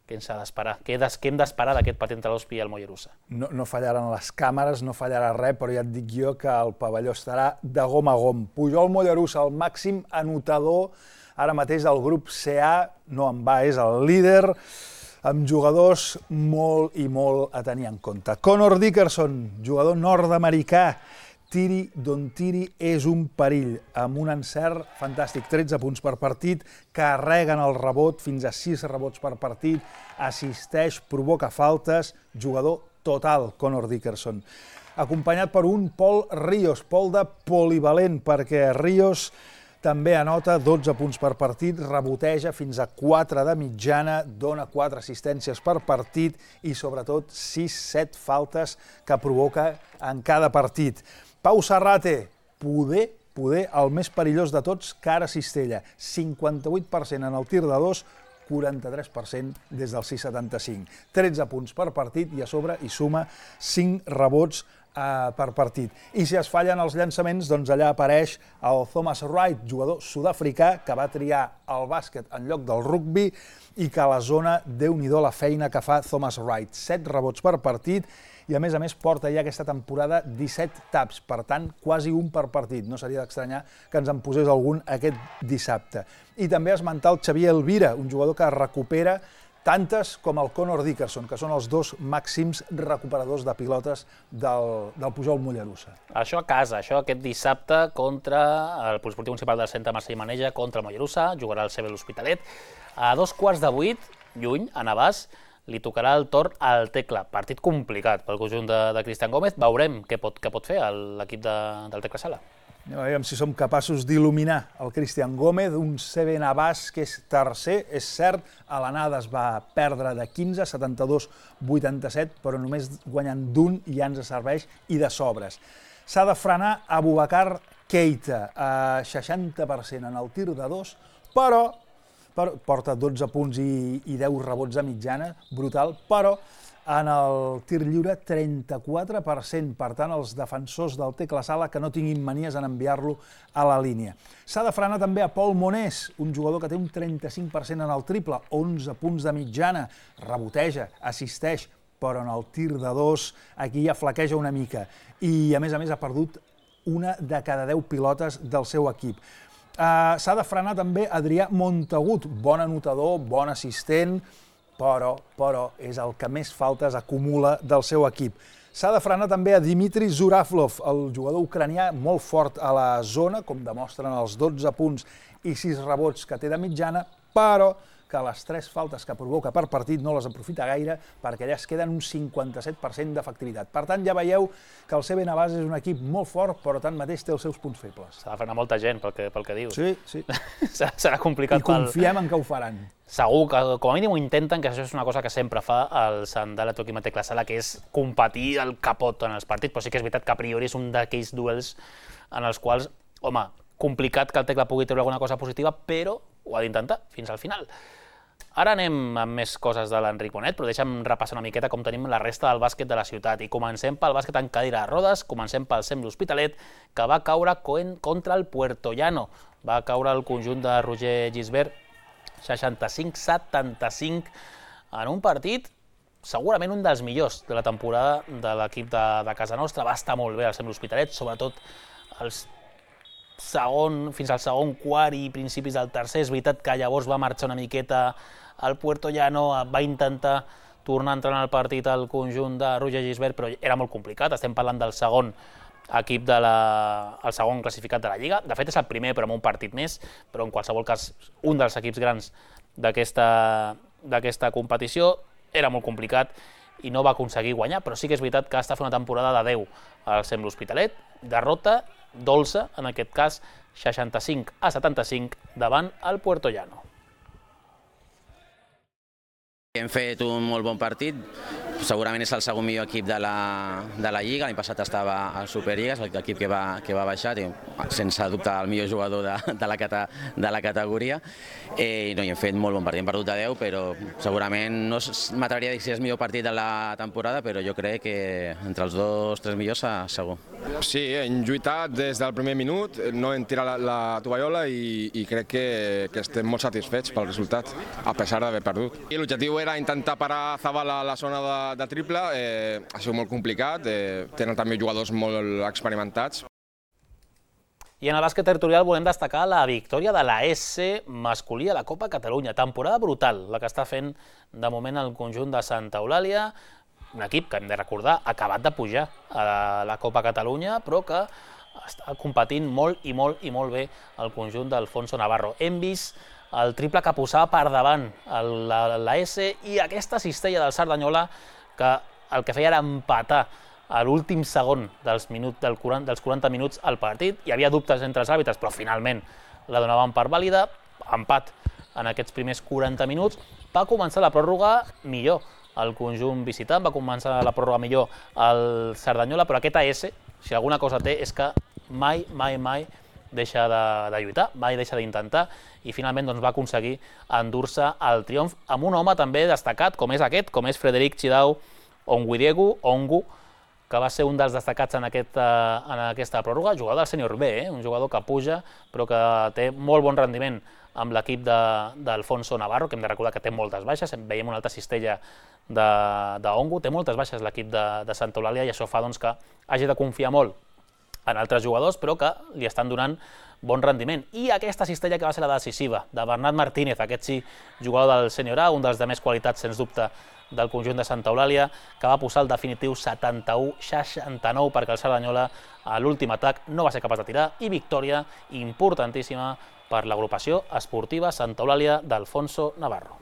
Què ens ha d'esperar? Què hem d'esperar d'aquest partit entre l'Hospi i el Mollerussa? No fallaran les càmeres, no fallarà res, però ja et dic jo que el pavelló estarà de gom a gom. Pujol Mollerussa, el màxim anotador ara mateix del grup C A, no en va, és el líder, amb jugadors molt i molt a tenir en compte. Connor Dickerson, jugador nord-americà, tiri d'on tiri és un perill, amb un encert fantàstic, tretze punts per partit, carreguen el rebot, fins a sis rebots per partit, assisteix, provoca faltes, jugador total, Connor Dickerson. Acompanyat per un Pol Ríos, Pol de polivalent, perquè Ríos també anota dotze punts per partit, reboteja fins a quatre de mitjana, dona quatre assistències per partit i sobretot sis set faltes que provoca en cada partit. Pau Serrate, poder, poder, el més perillós de tots, cara Cistella, cinquanta-vuit per cent en el tir de dos, quaranta-tres per cent des del sis setanta-cinc. tretze punts per partit i a sobre hi suma cinc rebots per partit. I si es fallen els llançaments, doncs allà apareix el Thomas Wright, jugador sud-africà, que va triar el bàsquet en lloc del rugbi i que a la zona, déu-n'hi-do la feina que fa Thomas Wright. set rebots per partit i a més a més porta ja aquesta temporada disset taps, per tant, quasi un per partit. No seria d'estranyar que ens en posés algun aquest dissabte. I també esmentar el Xavier Elvira, un jugador que recupera tantes com el Connor Dickerson, que són els dos màxims recuperadors de pilotes del Pujol Mollerussa. Això a casa, això aquest dissabte contra el Poliesportiu Municipal del Centre Marcelí Maneja, contra el Mollerussa, jugarà el C B l'Hospitalet. A dos quarts de vuit, lluny, a Navàs, li tocarà el torn al Tecla. Partit complicat pel conjunt de Cristian Gómez. Veurem què pot fer l'equip del Tecla Sala. Aviam si som capaços d'il·luminar el Cristian Gómez, un C B Navàs que és tercer, és cert, a l'anada es va perdre de quinze, setanta-dos vuitanta-set, però només guanyant d'un ja ens serveix i de sobres. S'ha de frenar Abubakar Keita, a seixanta per cent en el tir de dos, però porta dotze punts i deu rebots de mitjana, brutal, però en el tir lliure trenta-quatre per cent, per tant, els defensors del Tecla Sala que no tinguin manies en enviar-lo a la línia. S'ha de frenar també a Pol Monés, un jugador que té un trenta-cinc per cent en el triple, onze punts de mitjana, reboteja, assisteix, però en el tir de dos aquí ja flaqueja una mica. I, a més a més, ha perdut una de cada deu pilotes del seu equip. S'ha de frenar també Adrià Montagut, bon anotador, bon assistent, però, però és el que més faltes acumula del seu equip. S'ha de frenar també a Dimitri Zuraflov, el jugador ucranià molt fort a la zona, com demostren els dotze punts i sis rebots que té de mitjana, però que les tres faltes que provoca per partit no les aprofita gaire perquè allà es queden un cinquanta-set per cent d'efectivitat. Per tant, ja veieu que el C B Navàs és un equip molt fort, però tanmateix té els seus punts febles. S'ha de frenar molta gent pel que dius. Sí, sí. Serà complicat. I confiem en que ho faran. Segur que, com a mínim, ho intenten, que això és una cosa que sempre fa el Sandal Atoquim Tecla Sala, que és competir el capot en els partits, però sí que és veritat que a priori és un d'aquells duels en els quals, home, complicat que el Tecla pugui treure alguna cosa positiva, però ho ha d'intentar fins al final. Ara anem amb més coses de l'Enric Bonet, però deixa'm repassar una miqueta com tenim la resta del bàsquet de la ciutat. I comencem pel bàsquet en cadira de rodes, comencem pel C E M l'Hospitalet, que va caure contra el Puertollano. Va caure el conjunt de Roger Gisbert seixanta-cinc a setanta-cinc, en un partit segurament un dels millors de la temporada de l'equip de, de casa nostra. Va estar molt bé el Sem l'Hospitalet, sobretot els segon, fins al segon quart i principis del tercer. És veritat que llavors va marxar una miqueta al Puerto Llano, va intentar tornar a entrar en el partit al conjunt de Roger Gisbert, però era molt complicat. Estem parlant del segon equip de la, el segon classificat de la Lliga. De fet és el primer, però amb un partit més, però en qualsevol cas un dels equips grans d'aquesta competició. Era molt complicat i no va aconseguir guanyar, però sí que és veritat que està fent una temporada de deu al Sem l'Hospitalet. Derrota dolça, en aquest cas seixanta-cinc a setanta-cinc davant el Puerto Llano. Hem fet un molt bon partit, segurament és el segon millor equip de la, de la Lliga. L'any passat estava al Superliga, és l'equip que va, que va baixar, sense dubte el millor jugador de, de, la, cata, de la categoria. Eh, no, i hem fet molt bon partit, hem perdut de deu, però segurament no m'atreviria a dir si és el millor partit de la temporada, però jo crec que entre els dos, tres millors segur. Sí, hem lluitat des del primer minut, no hem tirat la, la tovallola i, i crec que, que estem molt satisfets pel resultat, a pesar d'haver perdut. L'objectiu era intentar parar Zabala a la zona de, de triple, eh, ha sigut molt complicat, eh, tenen també jugadors molt experimentats. I en el bàsquet territorial volem destacar la victòria de la S masculí a la Copa Catalunya. Temporada brutal, la que està fent de moment el conjunt de Santa Eulàlia, un equip que hem de recordar ha acabat de pujar a la Copa Catalunya, però que està competint molt i molt i molt bé el conjunt d'Alfonso Navarro. Hem vist el triple que posava per davant la, la S i aquesta cistella del Cerdanyola que el que feia era empatar a l'últim segon dels, minut, del quaranta, dels quaranta minuts al partit. Hi havia dubtes entre els àrbitres, però finalment la donaven per vàlida. Empat en aquests primers quaranta minuts. Va començar la pròrroga millor el conjunt visitant, va començar la pròrroga millor el Cerdanyola, però aquest A S, si alguna cosa té, és que mai, mai, mai deixa de, de lluitar, mai deixa d'intentar, i finalment doncs, va aconseguir endur-se el triomf amb un home també destacat, com és aquest, com és Frederic Chidau Onguidiegu, Ongu, que va ser un dels destacats en, aquest, en aquesta pròrroga, jugador del sènior B, eh? Un jugador que puja, però que té molt bon rendiment amb l'equip d'Alfonso Navarro, que hem de recordar que té moltes baixes. Veiem una altra cistella d'Ongu, té moltes baixes l'equip de, de Santa Eulàlia, i això fa doncs, que hagi de confiar molt en altres jugadors, però que li estan donant bon rendiment. I aquesta cistella que va ser la decisiva, de Bernat Martínez, aquest sí, jugador del sènior A, un dels de més qualitats, sens dubte, del conjunt de Santa Eulàlia, que va posar el definitiu setanta-u a seixanta-nou perquè el Cerdanyola a l'últim atac no va ser capaç de tirar, i victòria importantíssima per l'agrupació esportiva Santa Eulàlia d'Alfonso Navarro.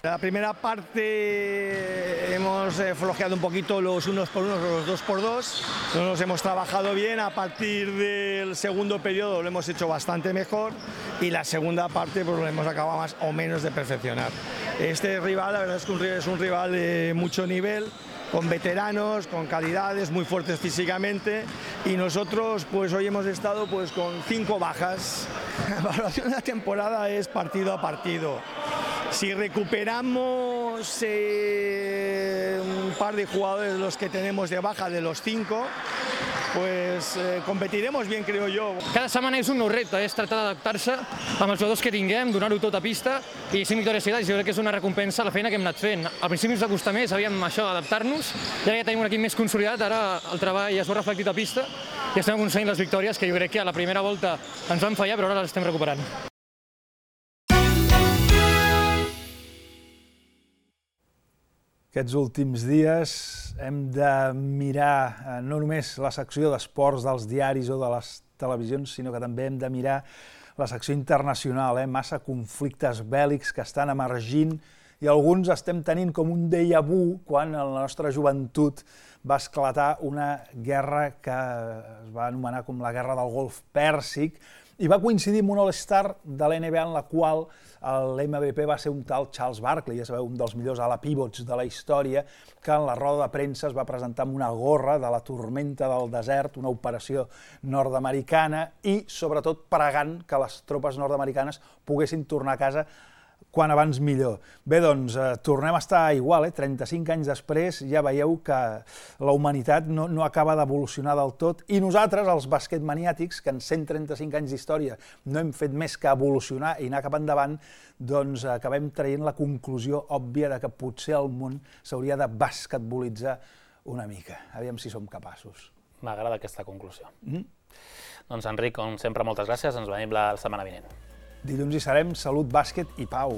La primera parte hemos flojeado un poquito los unos por unos, los dos por dos. No nos hemos trabajado bien. A partir del segundo periodo lo hemos hecho bastante mejor y la segunda parte pues lo hemos acabado más o menos de perfeccionar. Este rival, la verdad es que es un rival de mucho nivel, con veteranos, con calidades, muy fuertes físicamente, y nosotros pues hoy hemos estado pues con cinco bajas. La evaluación de la temporada es partido a partido. Si recuperamos eh, un par de jugadores de los que tenemos de baja, de los cinco, pues eh, competiremos bien, creo yo. Cada setmana és un nou repte, és tractar d'adaptar-se amb els jugadors que tinguem, donar-ho tot a pista, i cinc victòries seguides, jo crec que és una recompensa a la feina que hem anat fent. Al principi ens va costar més, havíem això, adaptar-nos, i ara ja tenim un equip més consolidat, ara el treball ja es veu reflectit a pista, i estem aconseguint les victòries que jo crec que a la primera volta ens van fallar, però ara les estem recuperant. Aquests últims dies hem de mirar no només la secció d'esports dels diaris o de les televisions, sinó que també hem de mirar la secció internacional, eh? Massa conflictes bèl·lics que estan emergint i alguns estem tenint com un déjà vu quan en la nostra joventut va esclatar una guerra que es va anomenar com la Guerra del Golf Pèrsic i va coincidir amb un All-Star de l'N B A en la qual l'M V P va ser un tal Charles Barkley, ja sabeu, un dels millors ala pivots de la història, que en la roda de premsa es va presentar amb una gorra de la tormenta del desert, una operació nord-americana, i sobretot pregant que les tropes nord-americanes poguessin tornar a casa quan abans millor. Bé, doncs, tornem a estar igual, trenta-cinc anys després, ja veieu que la humanitat no acaba d'evolucionar del tot, i nosaltres, els basquetmaniàtics, que en cent trenta-cinc anys d'història no hem fet més que evolucionar i anar cap endavant, doncs acabem traient la conclusió òbvia de que potser el món s'hauria de basquetbolitzar una mica. Aviam si som capaços. M'agrada aquesta conclusió. Doncs, Enric, com sempre, moltes gràcies. Ens veiem la setmana vinent. Dilluns hi serem. Salut, bàsquet i pau.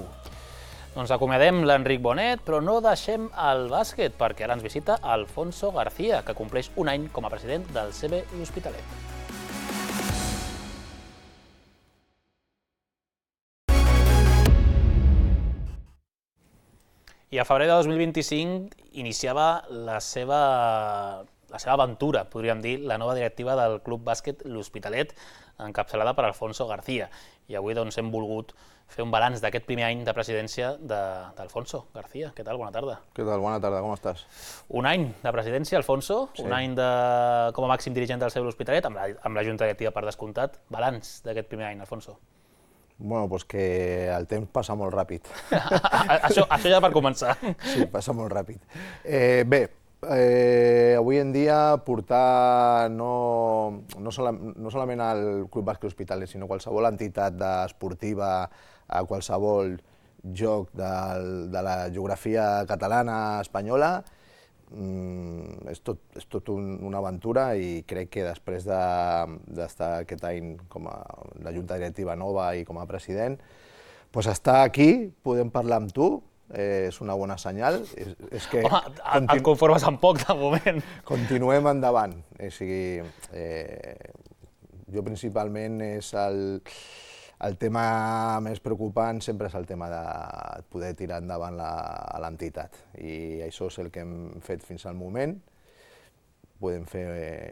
Doncs acomiadem l'Enric Bonet, però no deixem el bàsquet, perquè ara ens visita Alfonso García, que compleix un any com a president del C B L'Hospitalet. I a febrer de dos mil vint-i-cinc iniciava la seva... la seva aventura, podríem dir, la nova directiva del Club Bàsquet L'Hospitalet, encapçalada per Alfonso García. I avui doncs, hem volgut fer un balanç d'aquest primer any de presidència d'Alfonso García. Què tal? Bona tarda. Què tal? Bona tarda, com estàs? Un any de presidència, Alfonso, sí. Un any de, com a màxim dirigent del C B L'Hospitalet, amb, la, amb la Junta Directiva per descomptat. Balanç d'aquest primer any, Alfonso. Bueno, doncs que el temps passa molt ràpid. això, això ja per començar. Sí, passa molt ràpid. Eh, bé, Eh, avui en dia portar no, no, sola, no solament al Club Bàsquet L'Hospitalet, sinó qualsevol entitat esportiva a qualsevol joc del, de la geografia catalana, espanyola, mm, és tot, és tot un, una aventura, i crec que després d'estar de, aquest any com a la Junta Directiva nova i com a president, doncs estar aquí, podem parlar amb tu, Eh, és una bona senyal. És, és que Home, continu... et conformes amb poc, de moment. Continuem endavant. O sigui, eh, jo principalment és el, el tema més preocupant, sempre és el tema de poder tirar endavant l'entitat. I això és el que hem fet fins al moment. Podem fer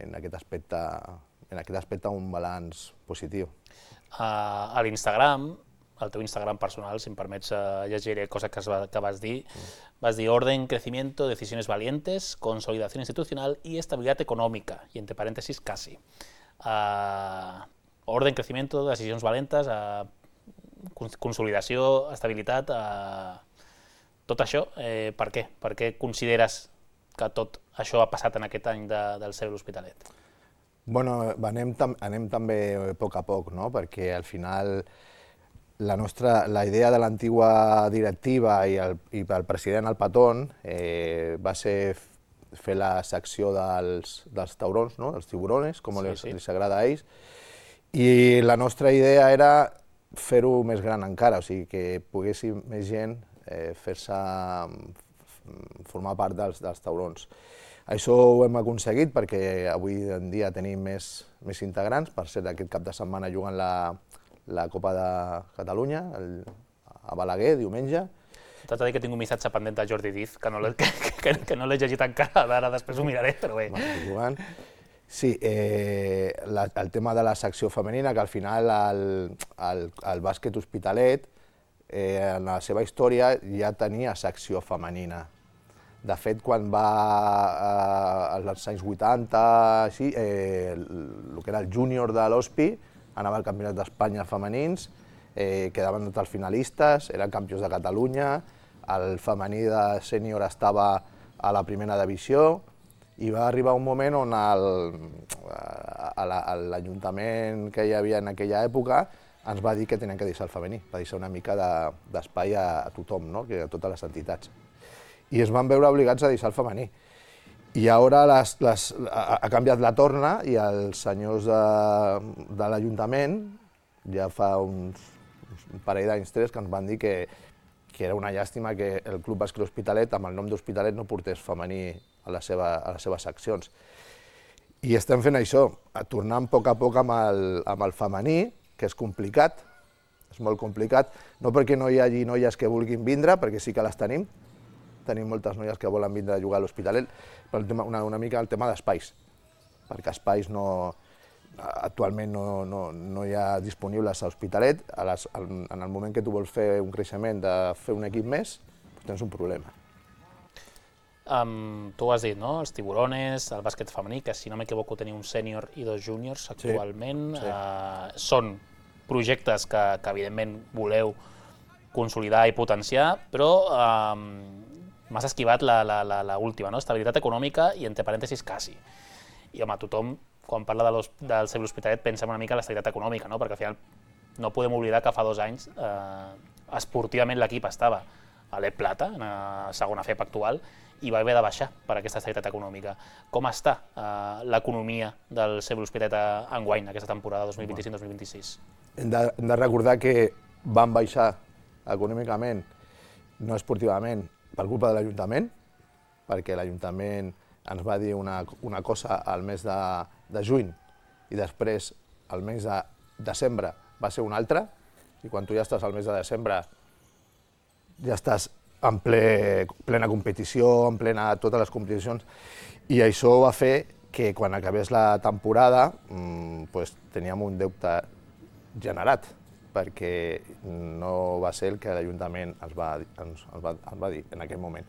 en aquest aspecte, en aquest aspecte un balanç positiu. Uh, a l'Instagram, el teu Instagram personal, si em permets, uh, llegiré coses que, que vas dir. Mm. Vas dir orden, crecimiento, decisiones valientes, consolidación institucional y estabilidad económica, y entre paréntesis, casi. Uh, orden, crecimiento, decisions valentes, uh, consolidació, estabilitat, uh, tot això, eh, per què? Per què consideres que tot això ha passat en aquest any de, del C B L'Hospitalet? Bueno, anem, tam anem també a poc a poc, no? Perquè al final La, nostra, la idea de l'antigua directiva i el, i el president el Patón eh, va ser fer la secció dels, dels taurons, no? dels tiburones, com sí, sí. els agrada a ells, i la nostra idea era fer-ho més gran encara, o sigui, que poguessi més gent eh, fer-se formar part dels, dels taurons. Això ho hem aconseguit perquè avui en dia tenim més, més integrants. Per cert, aquest cap de setmana juguen la la Copa de Catalunya, el, a Balaguer, diumenge. T'haig de dir que tinc un missatge pendent de Jordi Diz, que no l'he que, que no llegit encara, ara després ho miraré, però bé. Jugant. Sí, eh, la, el tema de la secció femenina, que al final el, el, el bàsquet Hospitalet, eh, en la seva història ja tenia secció femenina. De fet, quan va eh, als anys vuitanta, així, eh, el, el que era el júnior de l'Hospi, anava al Campionat d'Espanya femenins, eh, quedaven tots els finalistes, eren campions de Catalunya, el femení de sènior estava a la primera divisió, i va arribar un moment on l'Ajuntament que hi havia en aquella època ens va dir que tenien que deixar el femení, va deixar una mica d'espai de, a tothom, no? Que a totes les entitats. I es van veure obligats a deixar el femení. I ara les, les, ha canviat la torna i els senyors de, de l'Ajuntament ja fa uns, un parell d'anys, tres, que ens van dir que, que era una llàstima que el Club Bàsquet L'Hospitalet, amb el nom d'Hospitalet, no portés femení a, la seva, a les seves seccions. I estem fent això, tornant a poc a poc amb el, amb el femení, que és complicat, és molt complicat, no perquè no hi hagi noies que vulguin vindre, perquè sí que les tenim, tenim moltes noies que volen vindre a jugar a l'Hospitalet, però una, una mica el tema d'espais, perquè espais no, actualment no, no, no hi ha disponibles a l'Hospitalet. En el moment que tu vols fer un creixement de fer un equip més, doncs tens un problema. Um, tu ho has dit, no? Els tiburones, el bàsquet femení, que si no m'equivoco teniu un sènior i dos júniors actualment, sí, sí. Uh, són projectes que, que evidentment voleu consolidar i potenciar, però m'has esquivat l'última, estabilitat econòmica i, entre parèntesis, quasi. I, home, tothom, quan parla del C B l'Hospitalet, pensa una mica en l'estabilitat econòmica, perquè al final no podem oblidar que fa dos anys esportivament l'equip estava a l'E Plata, en la segona F E P actual, i va haver de baixar per aquesta estabilitat econòmica. Com està l'economia del C B l'Hospitalet enguany, aquesta temporada dos mil vint-i-cinc dos mil vint-i-sis? Hem de recordar que van baixar econòmicament, no esportivament, per culpa de l'Ajuntament, perquè l'Ajuntament ens va dir una cosa al mes de juny i després al mes de desembre va ser una altra, i quan tu ja estàs al mes de desembre ja estàs en plena competició, en plena totes les competicions, i això va fer que quan acabés la temporada teníem un deute generat, perquè no va ser el que l'Ajuntament ens va dir en aquell moment.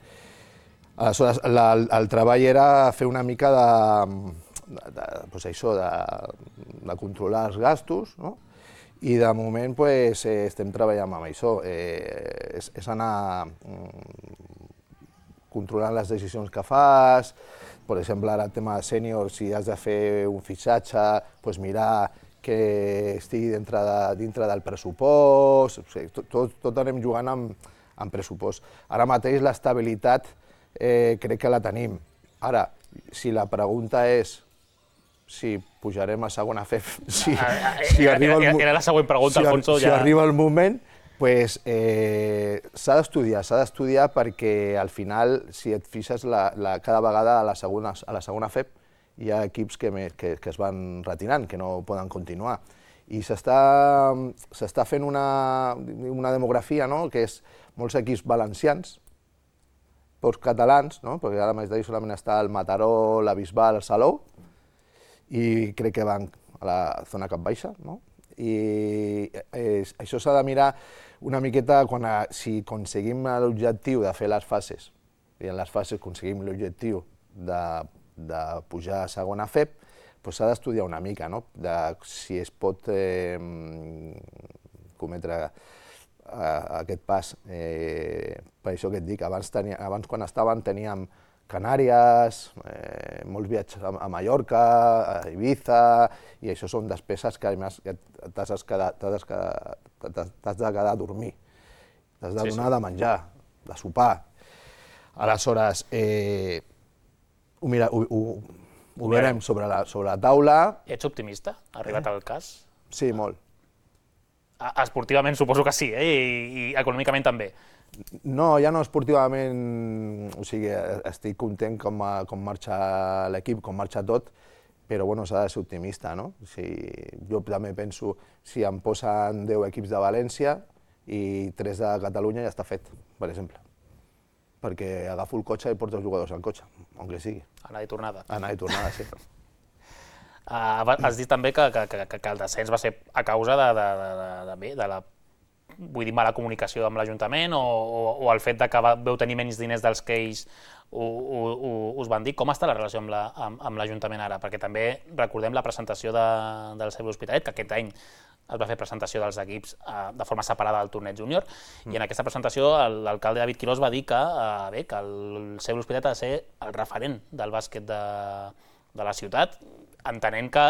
Aleshores, el treball era fer una mica de controlar els gastos, i de moment estem treballant amb això. És anar controlant les decisions que fas, per exemple, ara el tema de sènior, si has de fer un fitxatge, mirar que estigui dintre del pressupost, tot anem jugant amb pressupost. Ara mateix l'estabilitat crec que la tenim. Ara, si la pregunta és si pujarem a segona F E P, si arriba el moment, s'ha d'estudiar, s'ha d'estudiar perquè al final, si et fixes, cada vegada a la segona F E P hi ha equips que es van retirant, que no poden continuar. I s'està fent una demografia, que és molts equips valencians, pocs catalans, perquè ara mateix solament està el Mataró, la Bisbal, el Salou, i crec que van a la zona cap baixa. I això s'ha de mirar una miqueta si aconseguim l'objectiu de fer les fases, i en les fases aconseguim l'objectiu de de pujar a segona F E P, s'ha d'estudiar una mica si es pot cometre aquest pas. Per això que et dic, abans quan estàvem teníem Canàries, molts viatges a Mallorca, a Ibiza, i això són despeses que t'has de quedar a dormir, t'has de donar de menjar, de sopar. Aleshores, Mira, ho veurem sobre la taula. Ets optimista? Ha arribat el cas? Sí, molt. Esportivament suposo que sí, i econòmicament també. No, ja no esportivament, o sigui, estic content com marxa l'equip, com marxa tot, però s'ha de ser optimista, no? Jo també penso, si em posen deu equips de València i tres de Catalunya ja està fet, per exemple. Perquè agafo el cotxe i porto els jugadors al cotxe, on que sigui. Anada i tornada. Anada i tornada, sí. Has dit també que el descens va ser a causa de la mala comunicació amb l'Ajuntament o el fet que vau tenir menys diners dels que ells us van dir. Com està la relació amb l'Ajuntament ara? Perquè també recordem la presentació del C B l'Hospitalet, que aquest any es va fer presentació dels equips de forma separada del torneig júnior, i en aquesta presentació l'alcalde David Quirós va dir que el C B l'Hospitalet ha de ser el referent del bàsquet de la ciutat, entenent que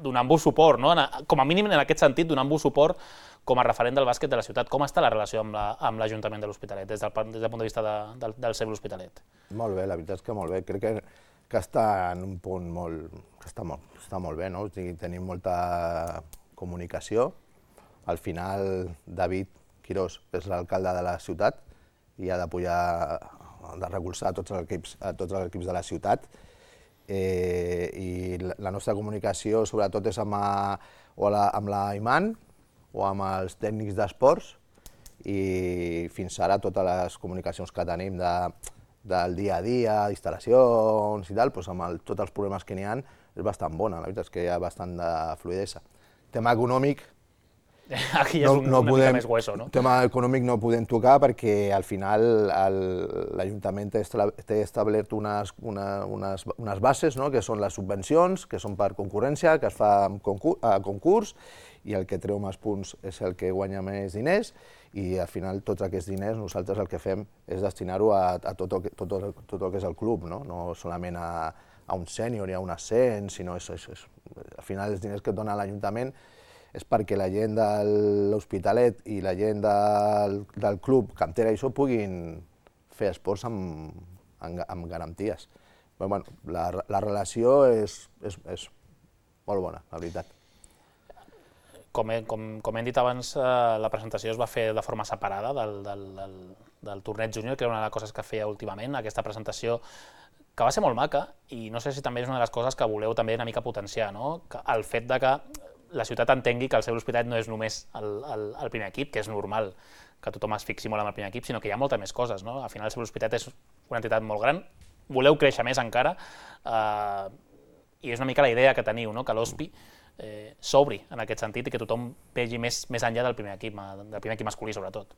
donant-vos suport, com a mínim en aquest sentit, donant-vos suport com a referent del bàsquet de la ciutat. Com està la relació amb l'Ajuntament de l'Hospitalet, des del punt de vista del C B l'Hospitalet? Molt bé, la veritat és que molt bé. Crec que està en un punt molt... que està molt bé, no? Tenim molta comunicació. Al final, David Quirós és l'alcalde de la ciutat i ha d'apoyar, de recolzar tots els equips de la ciutat. I la nostra comunicació, sobretot, és amb l'Aiman o amb els tècnics d'esports, i fins ara totes les comunicacions que tenim del dia a dia, d'instal·lacions i tal, amb tots els problemes que n'hi ha, és bastant bona, la veritat és que hi ha bastant de fluïdesa. Tema econòmic, aquí és una mica més hueso, no? Tema econòmic no podem tocar perquè al final l'Ajuntament té establert unes bases, que són les subvencions, que són per concurrència, que es fa a concurs, i el que treu més punts és el que guanya més diners, i al final tots aquests diners nosaltres el que fem és destinar-ho a, a tot, el, tot, el, tot el que és el club, no, no solament a, a un sènior i a un ascens, sinó és, és, és, al final els diners que et dona l'Ajuntament és perquè la gent de l'Hospitalet i la gent del, del club cantera i això puguin fer esports amb, amb, amb garanties. Però, bueno, la, la relació és, és, és molt bona, la veritat. Com, he, com, com hem dit abans, eh, la presentació es va fer de forma separada del, del, del, del torneig júnior, que era una de les coses que feia últimament, aquesta presentació que va ser molt maca, i no sé si també és una de les coses que voleu també una mica potenciar, no? Que el fet de que la ciutat entengui que el seu Hospitalet no és només el, el, el primer equip, que és normal que tothom es fixi molt en el primer equip, sinó que hi ha moltes més coses, no? Al final el seu Hospitalet és una entitat molt gran, voleu créixer més encara, eh, i és una mica la idea que teniu, no? Que l'Hospi eh, s'obri en aquest sentit i que tothom vegi més, més enllà del primer equip, del primer equip masculí sobretot.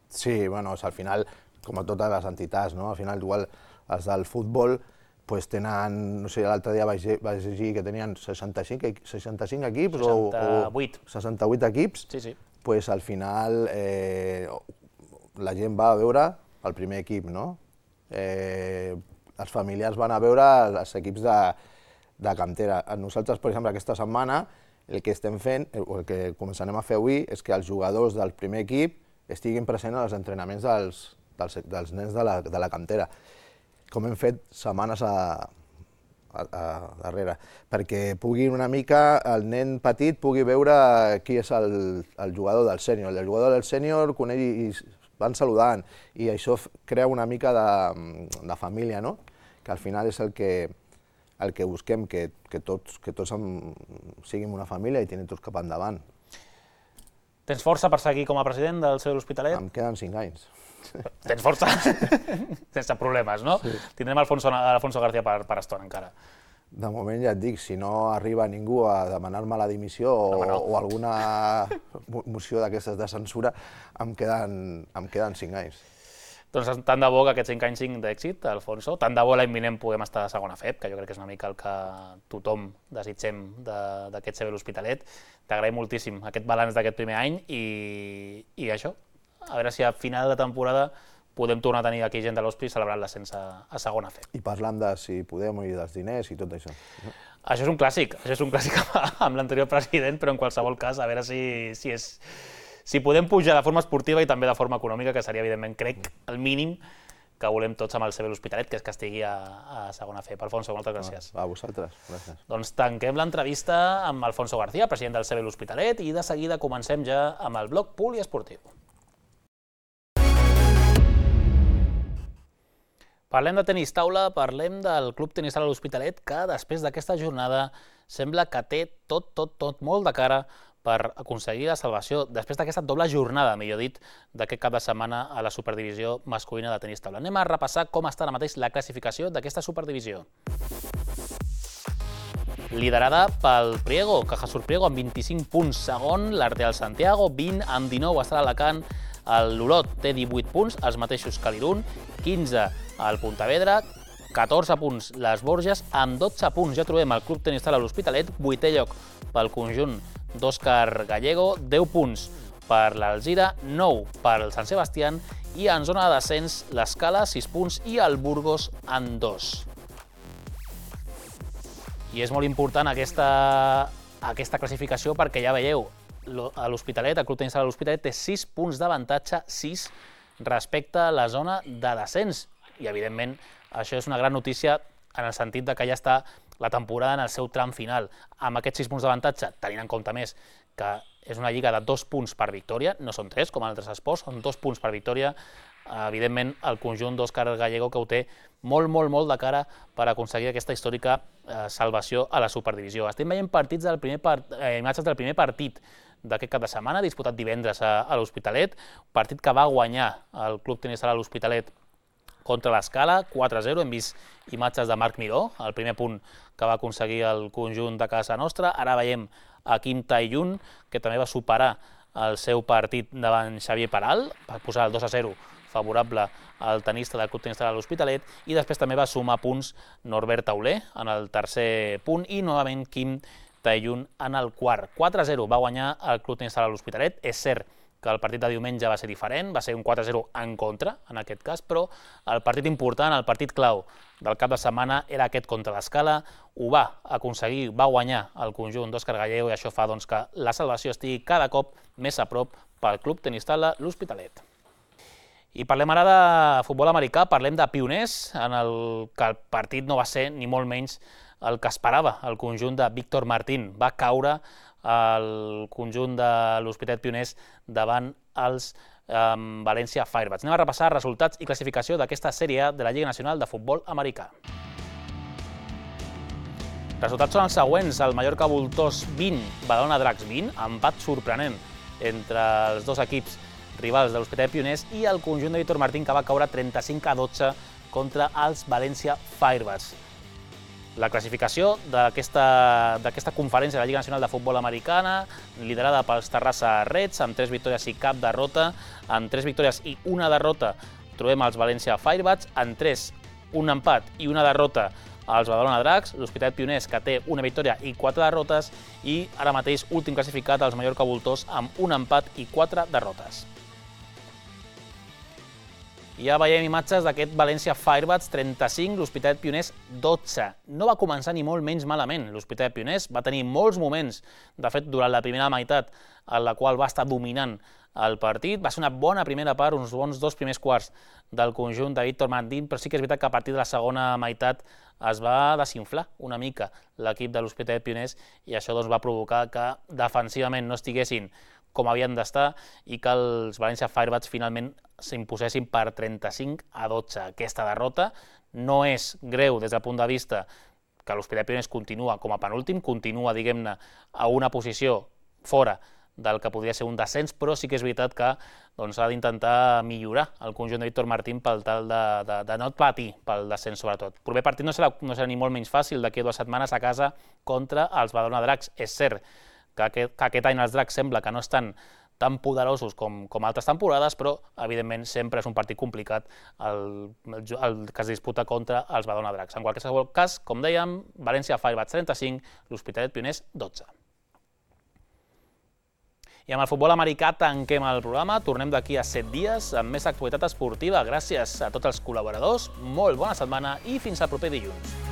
Sí, bueno, al final, com a totes les entitats, no? Al final, igual, els del futbol pues tenen, no sé, l'altre dia vaig, vaig llegir que tenien seixanta-cinc equips seixanta-vuit. o seixanta-vuit equips, sí, sí. Pues al final eh, la gent va a veure el primer equip, no? Eh, els familiars van a veure els equips de, de cantera. Nosaltres, per exemple, aquesta setmana el que estem fent, o el que començarem a fer avui, és que els jugadors del primer equip estiguin presents als entrenaments dels, dels, dels nens de la, de la cantera, com hem fet setmanes a, a, a darrere, perquè pugui una mica, el nen petit pugui veure qui és el, el jugador del sènior. El jugador del sènior coneix i van saludant, i això crea una mica de, de família, no? Que al final és el que, el que busquem, que, que tots, que tots siguin una família i tenen tots cap endavant. Tens força per seguir com a president del seu Hospitalet? Em queden cinc anys. Tens força? Sense problemes, no? Sí. Tindrem Alfonso, Alfonso García per, per estona encara. De moment ja et dic, si no arriba ningú a demanar-me la dimissió o, no, no. o alguna moció d'aquestes de censura, em queden, em queden cinc anys. Doncs tant de bo que aquests cinc anys siguin d'èxit, Alfonso. Tant de bo l'any vinent puguem estar a segona F E P, que jo crec que és una mica el que tothom desitgem d'aquest C B L'Hospitalet. T'agraïm moltíssim aquest balanç d'aquest primer any i, i això. A veure si a final de temporada podem tornar a tenir aquí gent de l'Hospi celebrant l'ascens a, a segona F E P. I parlant de si podem i dels diners i tot això. No? Això és un clàssic, això és un clàssic amb l'anterior president, però en qualsevol cas, a veure si, si, és, si podem pujar de forma esportiva i també de forma econòmica, que seria, evidentment, crec, el mínim que volem tots amb el C B L'Hospitalet, que és que estigui a, a segona F E P. Alfonso, moltes gràcies. A vosaltres, gràcies. Doncs tanquem l'entrevista amb Alfonso García, president del C B L'Hospitalet, i de seguida comencem ja amb el bloc poliesportiu. Parlem de tenis taula, parlem del Club Tenis Sala L'Hospitalet, que després d'aquesta jornada sembla que té tot, tot, tot molt de cara per aconseguir la salvació, després d'aquesta doble jornada, millor dit, d'aquest cap de setmana a la Superdivisió masculina de tenis taula. Anem a repassar com està ara mateix la classificació d'aquesta Superdivisió. Liderada pel Priego, Cajasur Priego amb vint-i-cinc punts, segon, l'Arteal Santiago, vint amb dinou està l'Alacant, el Lolot té divuit punts, els mateixos que l'Irun, quinze al Pontevedra, catorze punts les Borges, amb dotze punts ja trobem el Club Tenis Sala L'Hospitalet, vuitè lloc pel conjunt d'Òscar Gallego, deu punts per l'Alzira, nou per el Sant Sebastián i en zona de descens l'Escala, sis punts i el Burgos en dos. I és molt important aquesta, aquesta classificació perquè ja veieu, a l'Hospitalet, el Club Tenis Sala L'Hospitalet té sis punts d'avantatge, sis respecte a la zona de descens. I, evidentment, això és una gran notícia en el sentit de que ja està la temporada en el seu tram final. Amb aquests sis punts d'avantatge, tenint en compte més que és una lliga de dos punts per victòria, no són tres, com en altres esports, són dos punts per victòria. Evidentment, el conjunt d'Òscar Gallego que ho té molt, molt, molt de cara per aconseguir aquesta històrica eh, salvació a la Superdivisió. Estem veient partits del primer part, eh, imatges del primer partit d'aquest cap de setmana, disputat divendres a, a l'Hospitalet, partit que va guanyar el Club Tenis Sala L'Hospitalet contra l'Escala, quatre a zero. Hem vist imatges de Marc Miró, el primer punt que va aconseguir el conjunt de casa nostra. Ara veiem a Kim Tai-yun, que també va superar el seu partit davant Xavier Peral, per posar el dos a zero favorable al tenista del Club Tenis Sala L'Hospitalet, i després també va sumar punts Norbert Tauler en el tercer punt, i novament Kim Taillun en el quart. quatre a zero va guanyar el Club Tenis Sala l'Hospitalet. És cert que el partit de diumenge va ser diferent, va ser un quatre a zero en contra, en aquest cas, però el partit important, el partit clau del cap de setmana era aquest contra l'Escala. Ho va aconseguir, va guanyar el conjunt d'Òscar Gallego i això fa doncs, que la salvació estigui cada cop més a prop pel Club Tenis Sala l'Hospitalet. I parlem ara de futbol americà, parlem de pioners, en el que el partit no va ser ni molt menys el que esperava el conjunt de Víctor Martín. Va caure el conjunt de l'Hospitalet Pioners davant els eh, València Firebats. Anem a repassar resultats i classificació d'aquesta sèrie A de la Lliga Nacional de Futbol Americà. Resultats són els següents: el Mallorca Voltors vint, Badalona Dracs vint, empat sorprenent entre els dos equips rivals de l'Hospitalet Pioners, i el conjunt de Víctor Martín, que va caure trenta-cinc a dotze contra els València Firebats. La classificació d'aquesta conferència de la Lliga Nacional de Futbol Americana, liderada pels Terrassa Reds, amb tres victòries i cap derrota. Amb tres victòries i una derrota trobem els València Firebats, en tres, un empat i una derrota als Badalona Dracs, l'Hospitalet Pioners, que té una victòria i quatre derrotes, i ara mateix últim classificat els Mallorca Voltors amb un empat i quatre derrotes. Ja veiem imatges d'aquest València Firebats trenta-cinc, l'Hospitalet Pioners dotze. No va començar ni molt menys malament. L'Hospitalet Pioners va tenir molts moments, de fet, durant la primera meitat, en la qual va estar dominant el partit. Va ser una bona primera part, uns bons dos primers quarts del conjunt de Víctor Martín, però sí que és veritat que a partir de la segona meitat es va desinflar una mica l'equip de l'Hospitalet Pioners, i això doncs, va provocar que defensivament no estiguessin com havien d'estar i que els València Firebats finalment s'imposessin per trenta-cinc a dotze. Aquesta derrota no és greu des del punt de vista que l'Hospitalet Pioners continua com a penúltim, continua, diguem-ne, a una posició fora del que podria ser un descens, però sí que és veritat que doncs, ha d'intentar millorar el conjunt de Víctor Martín per tal de, de, de no patir pel descens, sobretot. El proper partit no serà, no serà ni molt menys fàcil, d'aquí a dues setmanes a casa contra els Badalona Dracs. És cert que aquest, que aquest any els Dracs sembla que no estan tan poderosos com, com altres temporades, però evidentment sempre és un partit complicat el, el, el que es disputa contra els Badalona Dracs. En qualsevol cas, com dèiem, València Firebats trenta-cinc, l'Hospitalet Pioners dotze. I amb el futbol americà tanquem el programa, tornem d'aquí a set dies amb més actualitat esportiva. Gràcies a tots els col·laboradors, molt bona setmana i fins al proper dilluns.